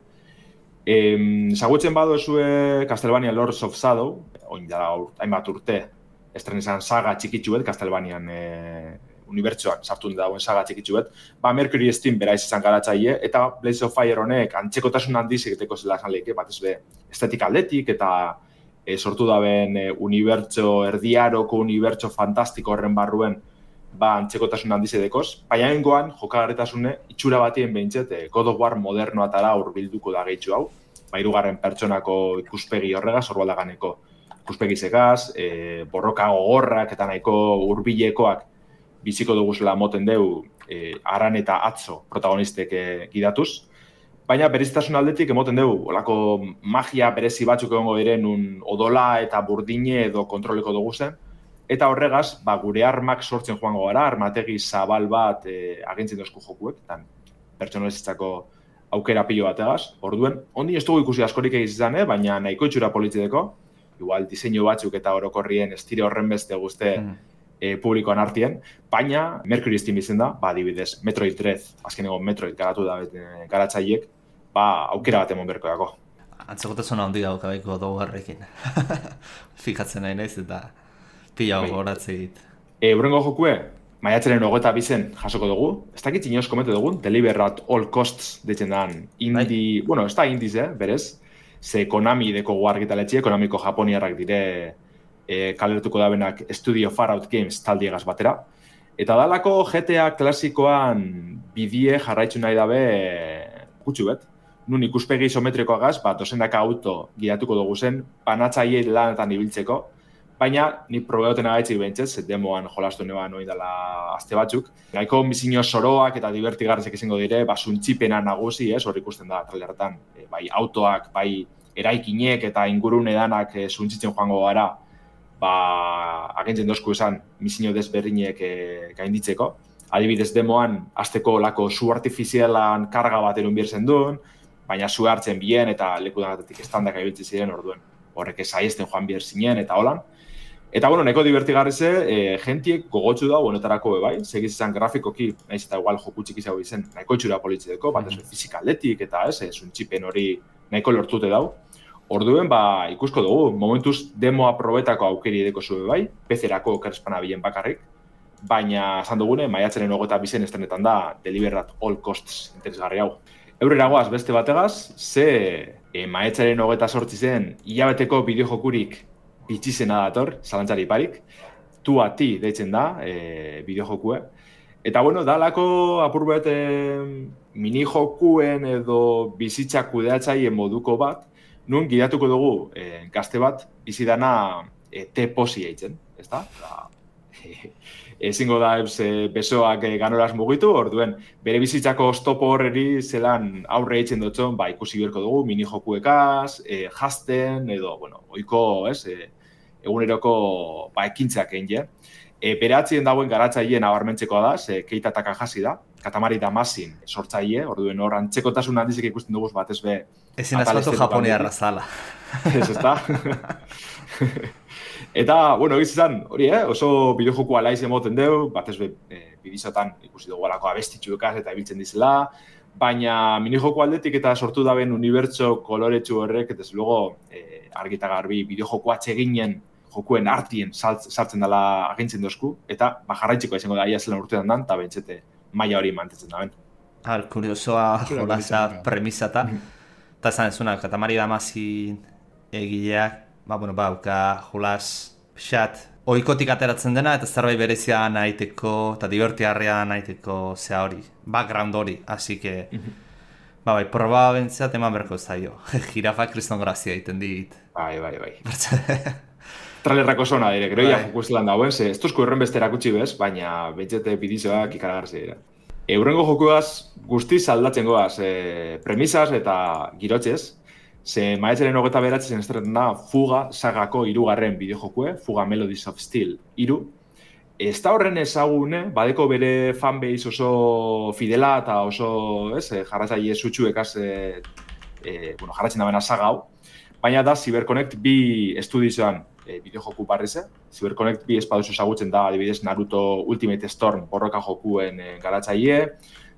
Zagutzen badu ezue Castlevania Lords of Shadow, oin dara hainbat urte, estrenizan saga txikitsuet, Castlevanian e, unibertsuan sartu dagoen saga txikitsuet, ba Mercury Steam beraiz izan garatzaile, eta Blaze of Fire honek antzekotasun handiz egiteko zela esan lehike, bat ez be estetik aldetik, eta e, sortu daben e, unibertso, erdiaroko unibertso fantastiko horren barruen, ba antzekotasun handiz edekoz, baina hengoan jokagarritasune itxura batien behintzet e, God of War modernoatara hurbilduko da gehitxu hau, ba hirugarren pertsonako ikuspegi horregaz, horbaldaganeko ikuspegi segaz, e, borroka gogorrak eta nahiko hurbilekoak biziko duguzela moten deu e, Aran eta Atzo protagonistek e, gidatuz, baina berezitasun aldetik emoten dugu, olako magia berezi batzuk egongo diren un odola eta burdine edo kontroleko dugu zen, eta horregaz, ba, gure armak sortzen joango gara, armategi zabal bat e, agentzen dozku jokuek, eta pertsonalizitzako aukera pilo bategaz. Orduen, ondi ez dugu ikusi askorik egizizan, eh? Baina nahiko itxura politzideko, igual diseinu batzuk eta orokorrien estire horren beste guzte mm. e, publikoan artien, baina Mercury Steam izen da, ba, adibidez, Metroid Dread, azkeneko Metroid garatu da e, garatzaiek, ba, aukera bat emon berko dako. Antzekotasuna handi gauka baiko dogarrekin. Fikatzen nahi naiz eta pila gogoratze dit. E, Urrengo jokue, maiatzaren hogeita bizen jasoko dugu, ez dakit inoz komete dugun, Deliver at all costs deitzen dan, indie, bai. Bueno, ez da indiz, eh, berez, ze Konami deko argitaletxe, Konamiko japoniarrak dire e, kaleratuko dabenak Studio Far Out Games taldiegaz batera, eta dalako G T A klasikoan bidie jarraitzu nahi dabe gutxu bet, nun ikuspegi isometrikoagaz, bat dozenaka auto gidatuko dugu zen, banatzaiei lanetan ibiltzeko, baina nik probeoten agaitzik behintzez, demoan jolastu neban oin dela azte batzuk. Nahiko misiño soroak eta divertigarrezek izango dire, ba, suntxipena nagusi, ez, hor ikusten da trailerretan, e, bai autoak, bai eraikinek eta ingurun edanak e, suntxitzen joango gara, ba, agentzen dozku esan misiño desberdinek e, gainditzeko. Adibidez demoan, azteko lako su artifizialan karga bat erun birzen duen, baina zu hartzen bien eta leku danatetik estandak aibiltzen ziren orduen. Horrek esaiesten joan bier zinen eta holan. Eta, bueno, nahiko divertigarrize, e, gentiek gogotsu da, honetarako bai, segiz izan grafikoki, nahiz eta igual joku txiki zau izen, nahiko itxura politzideko, bat ez fizikaldetik eta ez, zuntxipen hori nahiko lortute dau. Orduen, ba, ikusko dugu, momentuz demo aprobetako aukeri edeko zube bai, P C-erako kerespana bilen bakarrik, baina, esan dugune, maiatzaren hogeita bizen estrenetan da, Deliver at all costs interesgarri hau. Eurreragoaz beste bategaz, ze e, maiatzaren hogeita sortzi zen, hilabeteko bideojokurik bitxizena dator, zalantzari parik, tu a ti deitzen da, e, bideojokue. Eta, bueno, dalako apurbet e, minijokuen edo bizitza kudeatzaien moduko bat, nun gidatuko dugu e, gazte bat bizidana e, te posi eitzen, ez da? E, ezingo da e, besoak e, ganoraz mugitu, orduen, bere bizitzako oztopo horreri zelan aurre eitzen dutzen, ba, ikusi berko dugu, minijokuekaz, e, jasten, edo, bueno, oiko, ez, e, eguneroko ba, ekintzak egin je. E, bere atzien dagoen garatzaileen abarmentzekoa da, ze Keita Takahashi da, Katamari Damasin sortzaile, orduen hor antzekotasun handizik ikusten dugu batez be... Ezin azpatu japoniarra zala. Ez, ez da? Eta, bueno, egiz izan, hori, eh? Oso bideojoku alaiz emoten deu, batez be e, bidizotan ikusi dugu alako abestitxuekaz eta ibiltzen dizela, baina minijoku aldetik eta sortu daben unibertso koloretsu horrek, eta ez luego e, argita garbi bideojoku atseginen jokuen artien sartzen dela agintzen dozku, eta ba, jarraitziko izango da ia zelan urtean dan, eta bentsete maila hori mantetzen da ben. Har, kuriosoa jolasa premisata, eta esan ezuna, Katamari Damasin egileak, ba, bueno, ba, uka jolas pixat, oikotik ateratzen dena, eta zerbait berezia nahiteko, eta divertiarria nahiteko zea hori, background hori, así que, ba, bai, proba bentzat eman berko zaio, jirafak kriston grazia egiten dit. Bai, bai, bai. Trailerrako zona dire, gero ya joku estelan dauen, ze ez tuzko erren beste erakutsi bez, baina bentsete bidizoak ikaragarzi dira. Eurrengo jokuaz guztiz aldatzen goaz, e, premisas eta girotxez, ze maiatzaren hogeita beratzen estrenetan da Fuga sagako hirugarren bideojokue, Fuga Melodies of Steel hiru. Ez da horren ezagune, badeko bere fanbase oso fidela eta oso jarratzaile zutxuekaz e, e, bueno, jarratzen da bena saga hau, baina da CyberConnect bi estudioan e, bideojoku barrize. CyberConnect bi espaduzu ezagutzen da, adibidez, Naruto Ultimate Storm borroka jokuen e, garatzaile,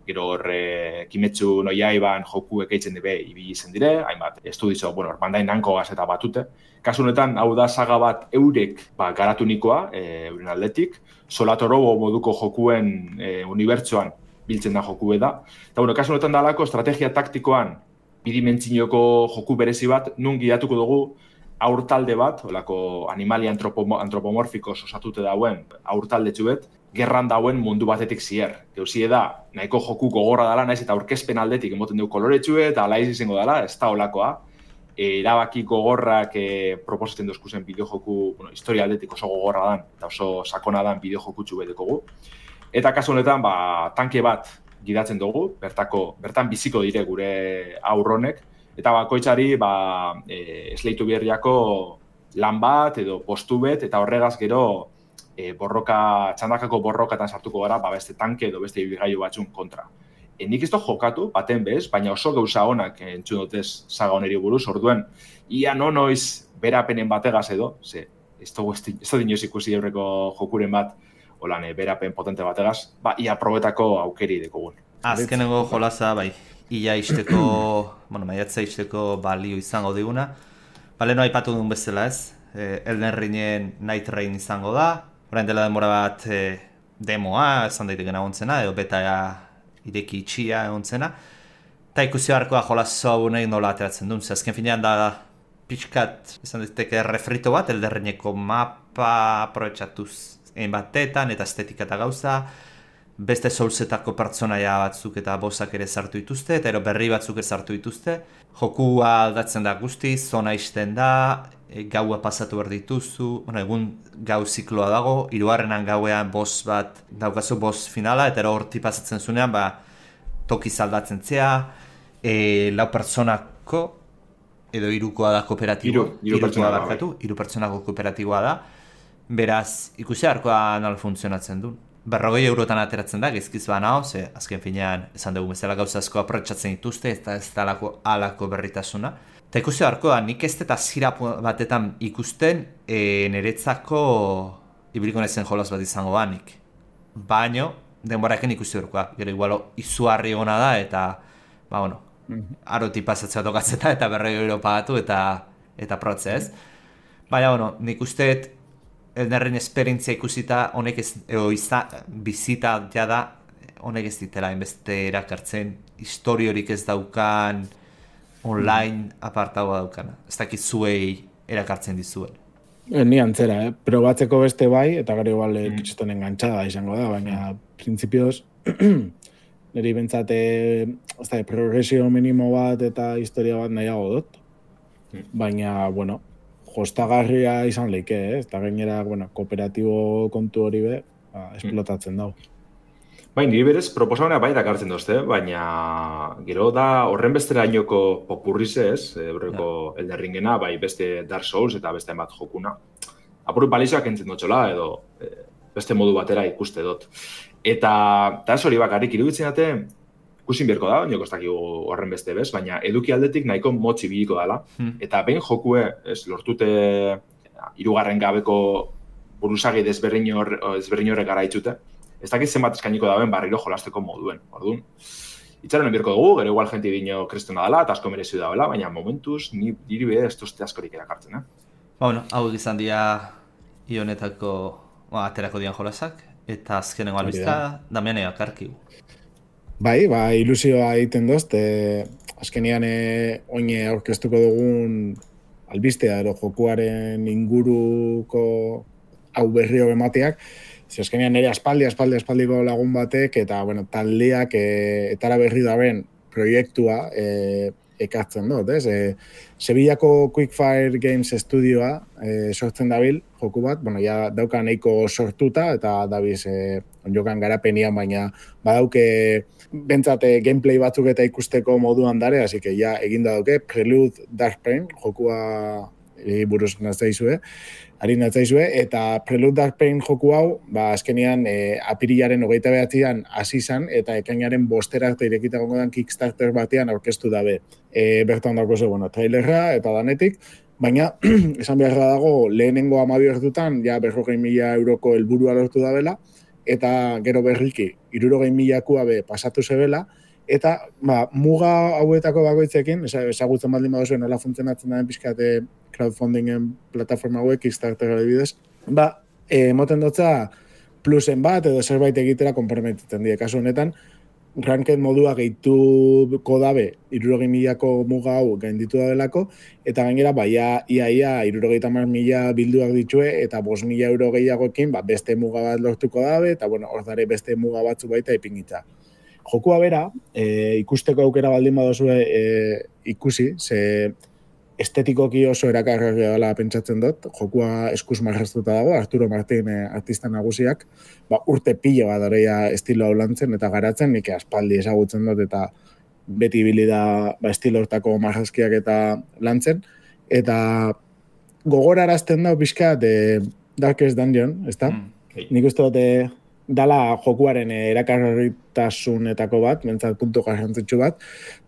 gero horre Kimetsu no Yaiban jokuek eitzen debe ibili zen dire, hainbat estudizo, bueno, Bandai Namco eta batute. Kasu honetan, hau da saga bat eurek ba, garatu nikoa, e, euren aldetik, Solatorobo moduko jokuen e, unibertsoan biltzen da jokue da. Eta, bueno, kasu honetan dalako estrategia taktikoan bidimentzinoko joku berezi bat, nun gidatuko dugu aurtalde bat, olako animalia antropomo, antropomorfiko osatute dauen aurtalde txubet, gerran dauen mundu batetik zier. Geuzie da, nahiko joku gogorra dela, naiz eta aurkezpen aldetik emoten dugu koloretxue, eta alaiz izango dela, ez da olakoa. E, erabaki gogorrak e, proposatzen dozkuzen bideojoku, bueno, historia aldetik oso gogorra dan, eta oso sakona dan bideojoku txube dekogu. Eta kasu honetan, ba, tanke bat gidatzen dugu, bertako, bertan biziko dire gure aurronek, eta bakoitzari ba, e, esleitu berriako lan bat edo postu bet, eta horregaz gero e, borroka, txandakako borrokatan sartuko gara, ba, beste tanke edo beste ibilgailu batzun kontra. E, nik ez dut jokatu, baten bez, baina oso gauza honak entzun dutez saga honeri buruz, orduen, ia no noiz berapenen bategaz edo, ze, ez da dinoz ikusi aurreko jokuren bat, holan, e, berapen potente bategaz, ba, ia probetako aukeri dekogun. Azkenengo jolaza, bai, ia isteko, bueno, maiatza isteko balio izango diguna. Bale, no aipatu duen bezala ez, e, Elden Ringen Night Rain izango da, orain dela denbora bat e, demoa, esan daiteken agontzena, edo beta ireki itxia egontzena, eta ikusi beharkoa jolazo hau nahi nola ateratzen duen, ze azken finean da pixkat, esan daiteke refrito bat, Elden Ringeko mapa aprobetxatuz egin batetan, eta estetika eta gauza, beste Soulsetako pertsonaia batzuk eta bossak ere sartu dituzte, eta ero berri batzuk ere sartu dituzte. Jokua aldatzen da guztiz, zona isten da, e, gaua pasatu behar dituzu, bueno, egun gau zikloa dago, hirugarrenan gauean boss bat, daukazu boss finala, eta ero horti pasatzen zunean, ba, tokiz aldatzen zea, e, lau pertsonako, edo hirukoa da kooperatiboa, hiru pertsona da, barkatu, hiru pertsonako kooperatiboa da, beraz, ikusi harkoa nola funtzionatzen du. Berrogei eurotan ateratzen da, gezkiz bana, ze azken finean esan dugu bezala gauza asko aprotsatzen dituzte, eta ez da alako, alako berritasuna. Eta ikusi beharko da, nik ez eta zira batetan ikusten, e, niretzako ibiliko nezen jolaz bat izango banik. Baino, denboraken ikusi beharkoa, gero igualo izuarri gona da, eta, ba, bueno, aroti pasatzea tokatzeta, eta berrogei euro pagatu, eta, eta protze ez. Baina, bueno, nik usteet, Elden Ring esperientzia ikusita, honek ez, eo izta, bizita ja da, honek ez ditela inbeste erakartzen, historiorik ez daukan, online apartagoa daukana. Ez dakit zuei erakartzen dizuen. E, ni antzera, eh? Probatzeko beste bai, eta gero igual mm. kitxetan engantzada izango da, baina mm. prinsipioz, niri bentsate, ez da, progresio minimo bat eta historia bat nahiago dut. Mm. Baina, bueno, jostagarria izan leike, eh? Eta gainera, bueno, kooperatibo kontu hori be, ba, esplotatzen dau. Bai, niri berez proposamena bai dakartzen dozte, baina gero da horren besterainoko popurrize ez, horreko yeah. Elden Ringena, bai beste Dark Souls eta beste bat jokuna. Apuru balizoak entzen dutxola, edo e, beste modu batera ikuste dut. Eta, eta ez hori bakarrik iruditzen dute, ikusin berko da, nioko ez dakigu horren beste bez, baina eduki aldetik nahiko motzi biliko dela. Hmm. Eta behin jokue, ez, lortute hirugarren gabeko buruzagi desberdin horrek gara itxute, ez dakit zenbat eskainiko daben barriro jolasteko moduen. Orduan, itxaron enbierko dugu, gero igual jenti dino kristona dela, eta asko merezi dagoela, baina momentuz, ni diri be ez duzte askorik erakartzen, eh? Ba, bueno, hau izan dira ionetako, ba, aterako dian jolasak, eta azkenengo albizta, Damian eakarkigu. Bai, ba, ilusioa egiten dozt, e, azkenian e, oine aurkeztuko dugun albistea, ero jokuaren inguruko hau berrio emateak, ze azkenian nire aspaldi, aspaldi, aspaldiko lagun batek, eta, bueno, taldeak e, etara berri daben proiektua e, ekartzen dut, ez? E, Sevillako Quickfire Games Studioa e, sortzen dabil, joku bat, bueno, ja dauka nahiko sortuta, eta dabiz e, onjokan garapenian, baina badauke bentsate gameplay batzuk eta ikusteko moduan dare, hasi que ja eginda dauke, Prelude Dark Pain, jokua e, buruz naztaizue, ari natzaizue, eta Prelude Dark Pain joku hau, ba, azkenian e, apirilaren hogeita behatzean hasi izan, eta ekainaren bostera arte irekita gongo dan Kickstarter batean aurkeztu dabe. E, bertan dago ze, bueno, trailerra eta danetik, Baina, esan beharra dago, lehenengo hamabi ordutan, ja berrogei mila euroko helburua lortu da bela, eta gero berriki, hirurogei milakua be pasatu zebela, eta ba, muga hauetako bakoitzekin, ezagutzen baldin baduzu nola funtzionatzen da pixkate crowdfundingen plataforma hauek, Kickstarter adibidez, ba, emoten dutza plusen bat edo zerbait egitera konprometitzen die. Kasu honetan, ranked modua gehituko dabe hirurogei milako muga hau gainditu da delako, eta gainera baia ia ia hirurogeita hamar mila bilduak ditue, eta bost mila euro gehiagoekin ba, beste muga bat lortuko dabe, eta bueno, hor dare beste muga batzu baita ipinitza. Jokua bera, e, ikusteko aukera baldin badozue e, ikusi, ze estetikoki oso erakargarria dela pentsatzen dut, jokua eskuz marraztuta dago, Arturo Martin e, artista nagusiak, ba, urte pilo bat dareia estilo hau lantzen eta garatzen, nik aspaldi ezagutzen dut eta beti ibili da ba, estilo hortako marrazkiak eta lantzen, eta gogorarazten da pixka de Darkest Dungeon, ezta? Mm, okay. Nik uste dut dala jokuaren erakargarritasunetako bat, mentzat puntu garrantzitsu bat,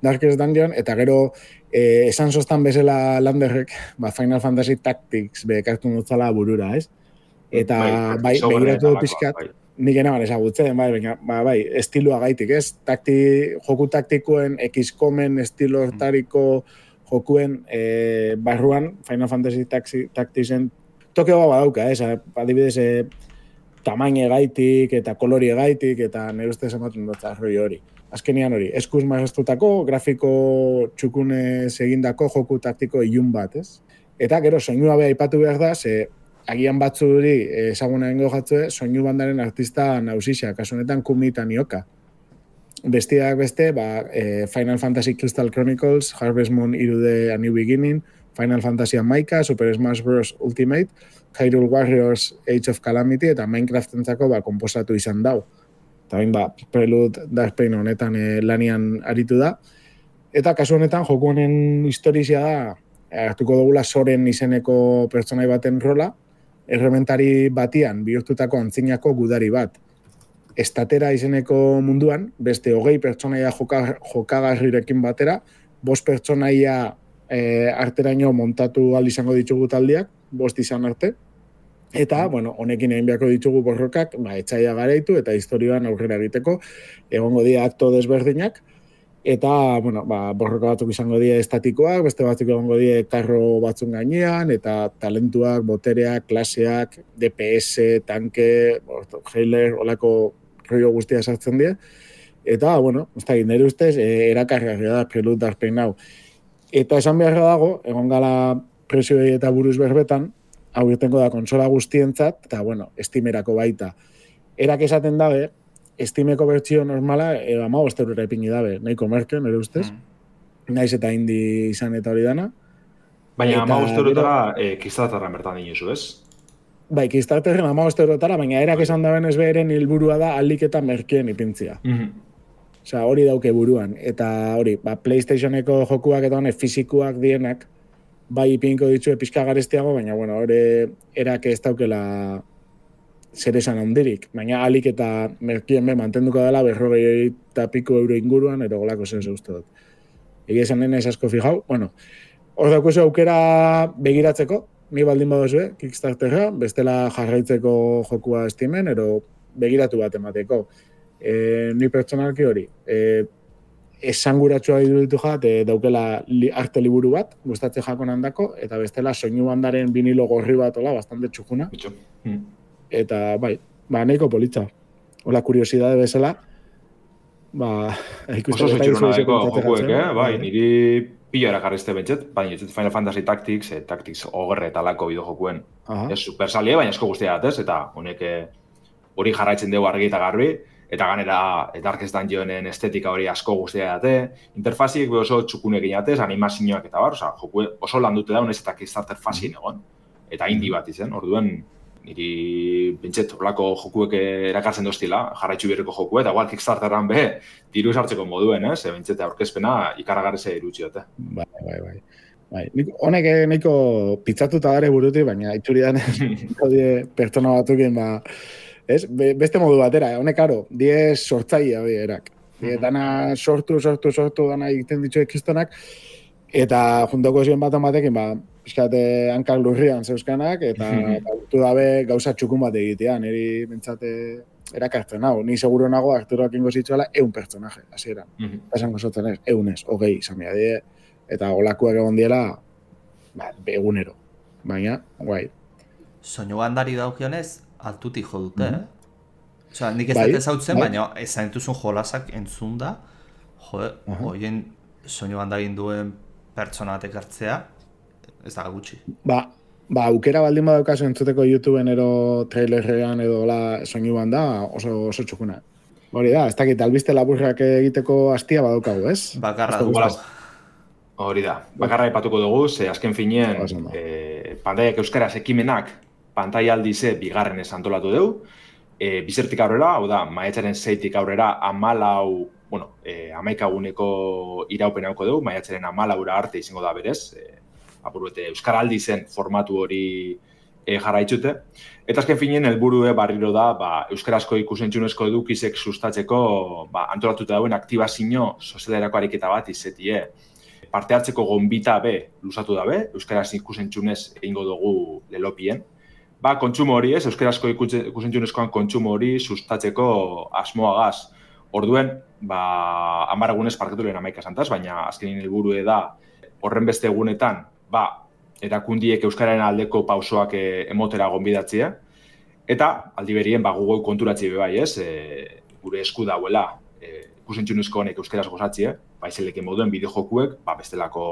Darkest Dungeon, eta gero eh, esan sostan bezala Landerrek, ba, Final Fantasy Tactics bekartu nutzala burura, ez? Eta bai, bai begiratu pixkat, bai. Nik enaban ezagutzen, bai, baina, ba, bai, estiloa gaitik, ez? Takti, joku taktikoen, X-Comen estilo hortariko jokuen eh, barruan, Final Fantasy Tacticsen tokeo badauka, ez? Adibidez, eh, tamaine gaitik eta kolori gaitik eta nire ustez ematen dut arroi hori. Azkenian hori, eskuz marraztutako, grafiko txukunez egindako joku taktiko ilun bat, ez? Eta gero, soinua beha aipatu behar da, ze agian batzu duri ezaguna gengo jatzue, soinu bandaren artista nausisa, kasu honetan Kumi Tanioka. Bestiak beste, ba, e, Final Fantasy Crystal Chronicles, Harvest Moon irude A New Beginning, Final Fantasy Maika, Super Smash Bros. Ultimate, Hyrule Warriors Age of Calamity eta Minecraftentzako ba, komposatu izan dau. Eta bain, ba, Prelude Dark Pain honetan e, lanian aritu da. Eta kasu honetan, joku honen historizia da, hartuko dugula Soren izeneko pertsonai baten rola, errementari batian bihurtutako antzinako gudari bat. Estatera izeneko munduan, beste hogei pertsonaia joka, jokagarrirekin batera, bost pertsonaia e, arteraino montatu ahal izango ditugu taldiak, bost izan arte, eta, bueno, honekin egin beharko ditugu borrokak, ba, etxaia garaitu eta historioan aurrera egiteko, egongo dira akto desberdinak, eta, bueno, ba, borroka batzuk izango dira estatikoak, beste batzuk egongo dira karro batzun gainean, eta talentuak, botereak, klaseak, D P S, tanke, heiler, olako rollo guztia sartzen dira, eta, bueno, ez da, nire ustez, e, erakargarria da, Prelude Dark Pain hau. Eta esan beharra dago, egon gala presioei eta buruz berbetan, hau irtengo da konsola guztientzat, eta, bueno, Steamerako baita. Erak esaten dabe, Steameko bertsio normala, e, hamabost eurora ipini dabe, nahiko merke, nire ustez, mm. naiz eta indi izan eta hori dana. Baina hamabost eurotara e, Kickstarterren bertan dinozu, ez? Bai, Kickstarterren hamabost eurotara, baina erak esan daben ez beheren hilburua da aldik eta merkeen ipintzia. Mm-hmm. Osea, hori dauke buruan. Eta hori, ba, PlayStationeko jokuak eta honek fizikoak dienak, bai ipinko ditue pixka garestiago, baina, bueno, hori erak ez daukela zer esan handirik. Baina alik eta merkien be mantenduko dela berrogei eta piko euro inguruan, ero golako zer uste dut. Egi esan nena ez asko fijau. Bueno, hor daukuzu aukera begiratzeko, ni baldin badozue, Kickstarterra, bestela jarraitzeko jokua Steamen, ero begiratu bat emateko. E, ni pertsonalki hori, e, esanguratsua iruditu jat, e, daukela li, arte liburu bat, gustatze jakon handako, eta bestela soinu bandaren vinilo gorri bat, ola, bastante txukuna. Mm. Eta, bai, ba, nahiko politza. Ola, kuriosidade bezala, ba, ikusten. Oso zutxuruna daiko jokuek, eh? Bai, niri pilo erakarrizte bentset, baina Final Fantasy Tactics, eh, Tactics ogre talako bideo jokuen. Ez super salie, baina esko guztia datez, eta honek hori jarraitzen dugu argi eta garbi, eta ganera Darkest Dungeonen estetika hori asko guztia date, interfaziek oso txukunekin atez, animazioak eta bar, oza, joku oso landute daun ez eta Kickstarter fazin egon, eta indi bat izen, orduen, niri bentset olako jokuek erakartzen doztila, jarraitzu berreko joku, eta igual Kickstarteran be, diru esartzeko moduen, ez, bentset aurkezpena ikaragarrese irutxiote. Bai, bai, bai. Bai, honek nahiko pitzatuta dare buruti, baina itxuridan pertsona batukin, ba, ez? Beste modu batera, honek aro, diez sortzaia hori erak. Mm-hmm. Dana sortu, sortu, sortu, dana egiten ditu ekistonak, eta juntoko ziren bat amatekin, ba, pixkate hankak lurrian zeuskanak, eta gautu dabe gauza txukun bat egitea, niri bentsate erakartzen hau. Ni seguro nago Arturoak ingo zitzuela eun pertsonaje, hasieran. Esango zotzen ez, eunez, hogei izan die, eta olakuak egon diela, ba, egunero. Baina, guai. Soinu bandari daukionez, altutik jo dute, eh? Osea, nik ez dut ezautzen, baina ez entuzun jolasak entzun da, jode, hoien soinu bandarin duen pertsona batek hartzea, ez da gutxi. Ba, ba, aukera baldin badaukazu entzuteko YouTubeen ero trailerrean edo la soinu banda oso, oso txukuna. Hori da, ez dakit, albiste laburrak egiteko hastia badaukagu, ez? Bakarra dugu. Hori da, bakarra ipatuko dugu, ze azken finean, eh, pantaiak euskaraz ekimenak, pantai aldize bigarrenez antolatu dugu, e, bizertik aurrera, hau da, maiatzaren zeitik aurrera, amalau, bueno, e, amaikaguneko iraupen hauko dugu, maiatzaren amalaura arte izango da berez, e, apuruete, euskaraldi zen formatu hori e, jarraitzute. Eta azken finean, helburue barriro da, ba, euskarazko ikusentzunezko edukizek sustatzeko ba, antolatuta dauen aktibazio sozialerako ariketa bat izetie. Parte hartzeko gonbita be, luzatu dabe, euskaraz ikusentzunez egingo dugu lelopien. Ba, kontsumo hori ez, euskarazko ikusentzunezkoan kontsumo hori sustatzeko asmoagaz. Orduen, ba, hamar egunez parketu lehen hamaika santaz, baina azkenin helburue da horren beste egunetan, ba, erakundiek euskararen aldeko pausoak emotera gonbidatzea. Eta, aldi berien, ba, Google konturatzi be bai ez, e, gure esku dauela e, ikusentzunezko honek euskaraz gozatzea, baizeleke moduen bideojokuek, ba, bestelako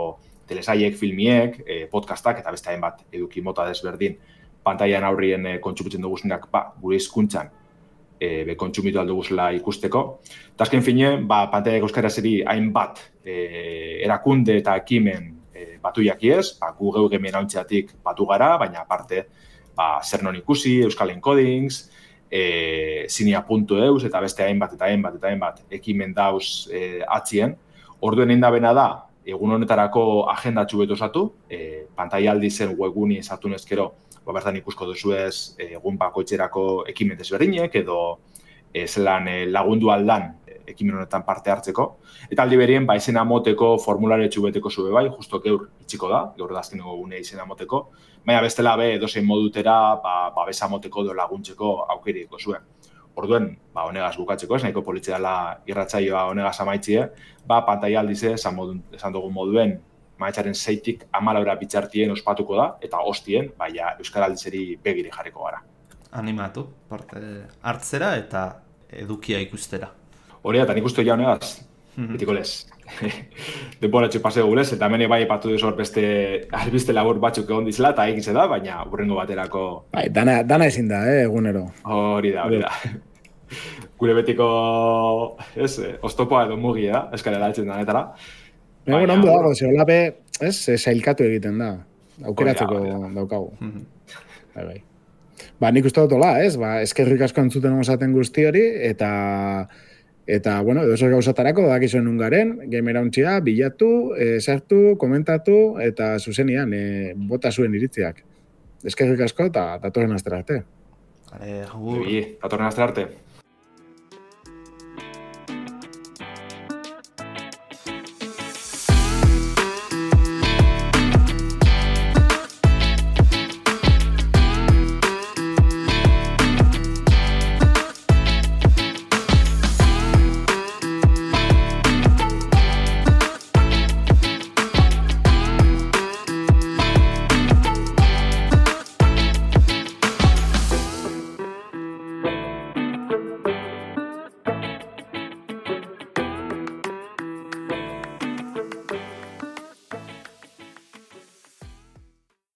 telesaiek, filmiek, e, podcastak eta beste hainbat eduki mota desberdin pantailan aurrien e, kontsumitzen duguzenak, ba, gure hizkuntzan e, be kontsumitu alduguzela ikusteko. Eta azken fine, ba, pantaiak euskarazeri hainbat e, erakunde eta ekimen e, batu jakiez, ba, gu geu gemien hauntzeatik batu gara, baina aparte, ba, zer non ikusi, Euskal Encodings, e, zinia puntu eus, eta beste hainbat eta hainbat eta hainbat ekimen dauz e, atzien. Orduen egin da bena da, egun honetarako agendatxu betu osatu, e, pantai aldi zen webguni esatu nezkero, ba, bertan ikusko duzuez egun bakoitzerako ekimen desberdinek edo e, zelan e, lagundu aldan ekimen honetan parte hartzeko. Eta aldi berien, ba, izena moteko formulare txubeteko zube bai, justo geur itxiko da, geur da azkeneko gune izena moteko. Baina bestela be, edozein modutera, ba, babesa moteko edo laguntzeko aukeriko zuen. Orduen, ba, honegaz bukatzeko, ez nahiko politzeala irratsaioa honegaz amaitzie, ba, pantai aldize, esan, modun, esan dugun moduen, maiatzaren zeitik amalaura bitxartien ospatuko da, eta hostien, baina euskaraldizeri begiri jarriko gara. Animatu, parte hartzera eta edukia ikustera. Hori da, eta nik uste ja honegaz, betiko lez. Denboratxo paseo gulez, eta hemen bai epatu duzu hor beste albiste labur batzuk egon dizela, eta egize da, baina urrengo baterako... Bai, dana, dana ezin da, eh, egunero. Hori da, hori da. Gure betiko, ez, oztopoa edo mugi da, eskarela altzen danetara. Egon ondo dago, ze holape, ez, sailkatu egiten da. Aukeratzeko daukagu. Bai, bai. Ba, nik uste dut hola, ez, ba, eskerrik asko entzuten osaten guzti hori, eta, eta, bueno, edo zer gauzatarako, dakizuen ungaren, gamerauntxia, bilatu, e, sartu, komentatu, eta zuzenian, e, bota zuen iritziak. Eskerrik asko, eta datorren astera arte. Vale, agur. Datorren astera arte.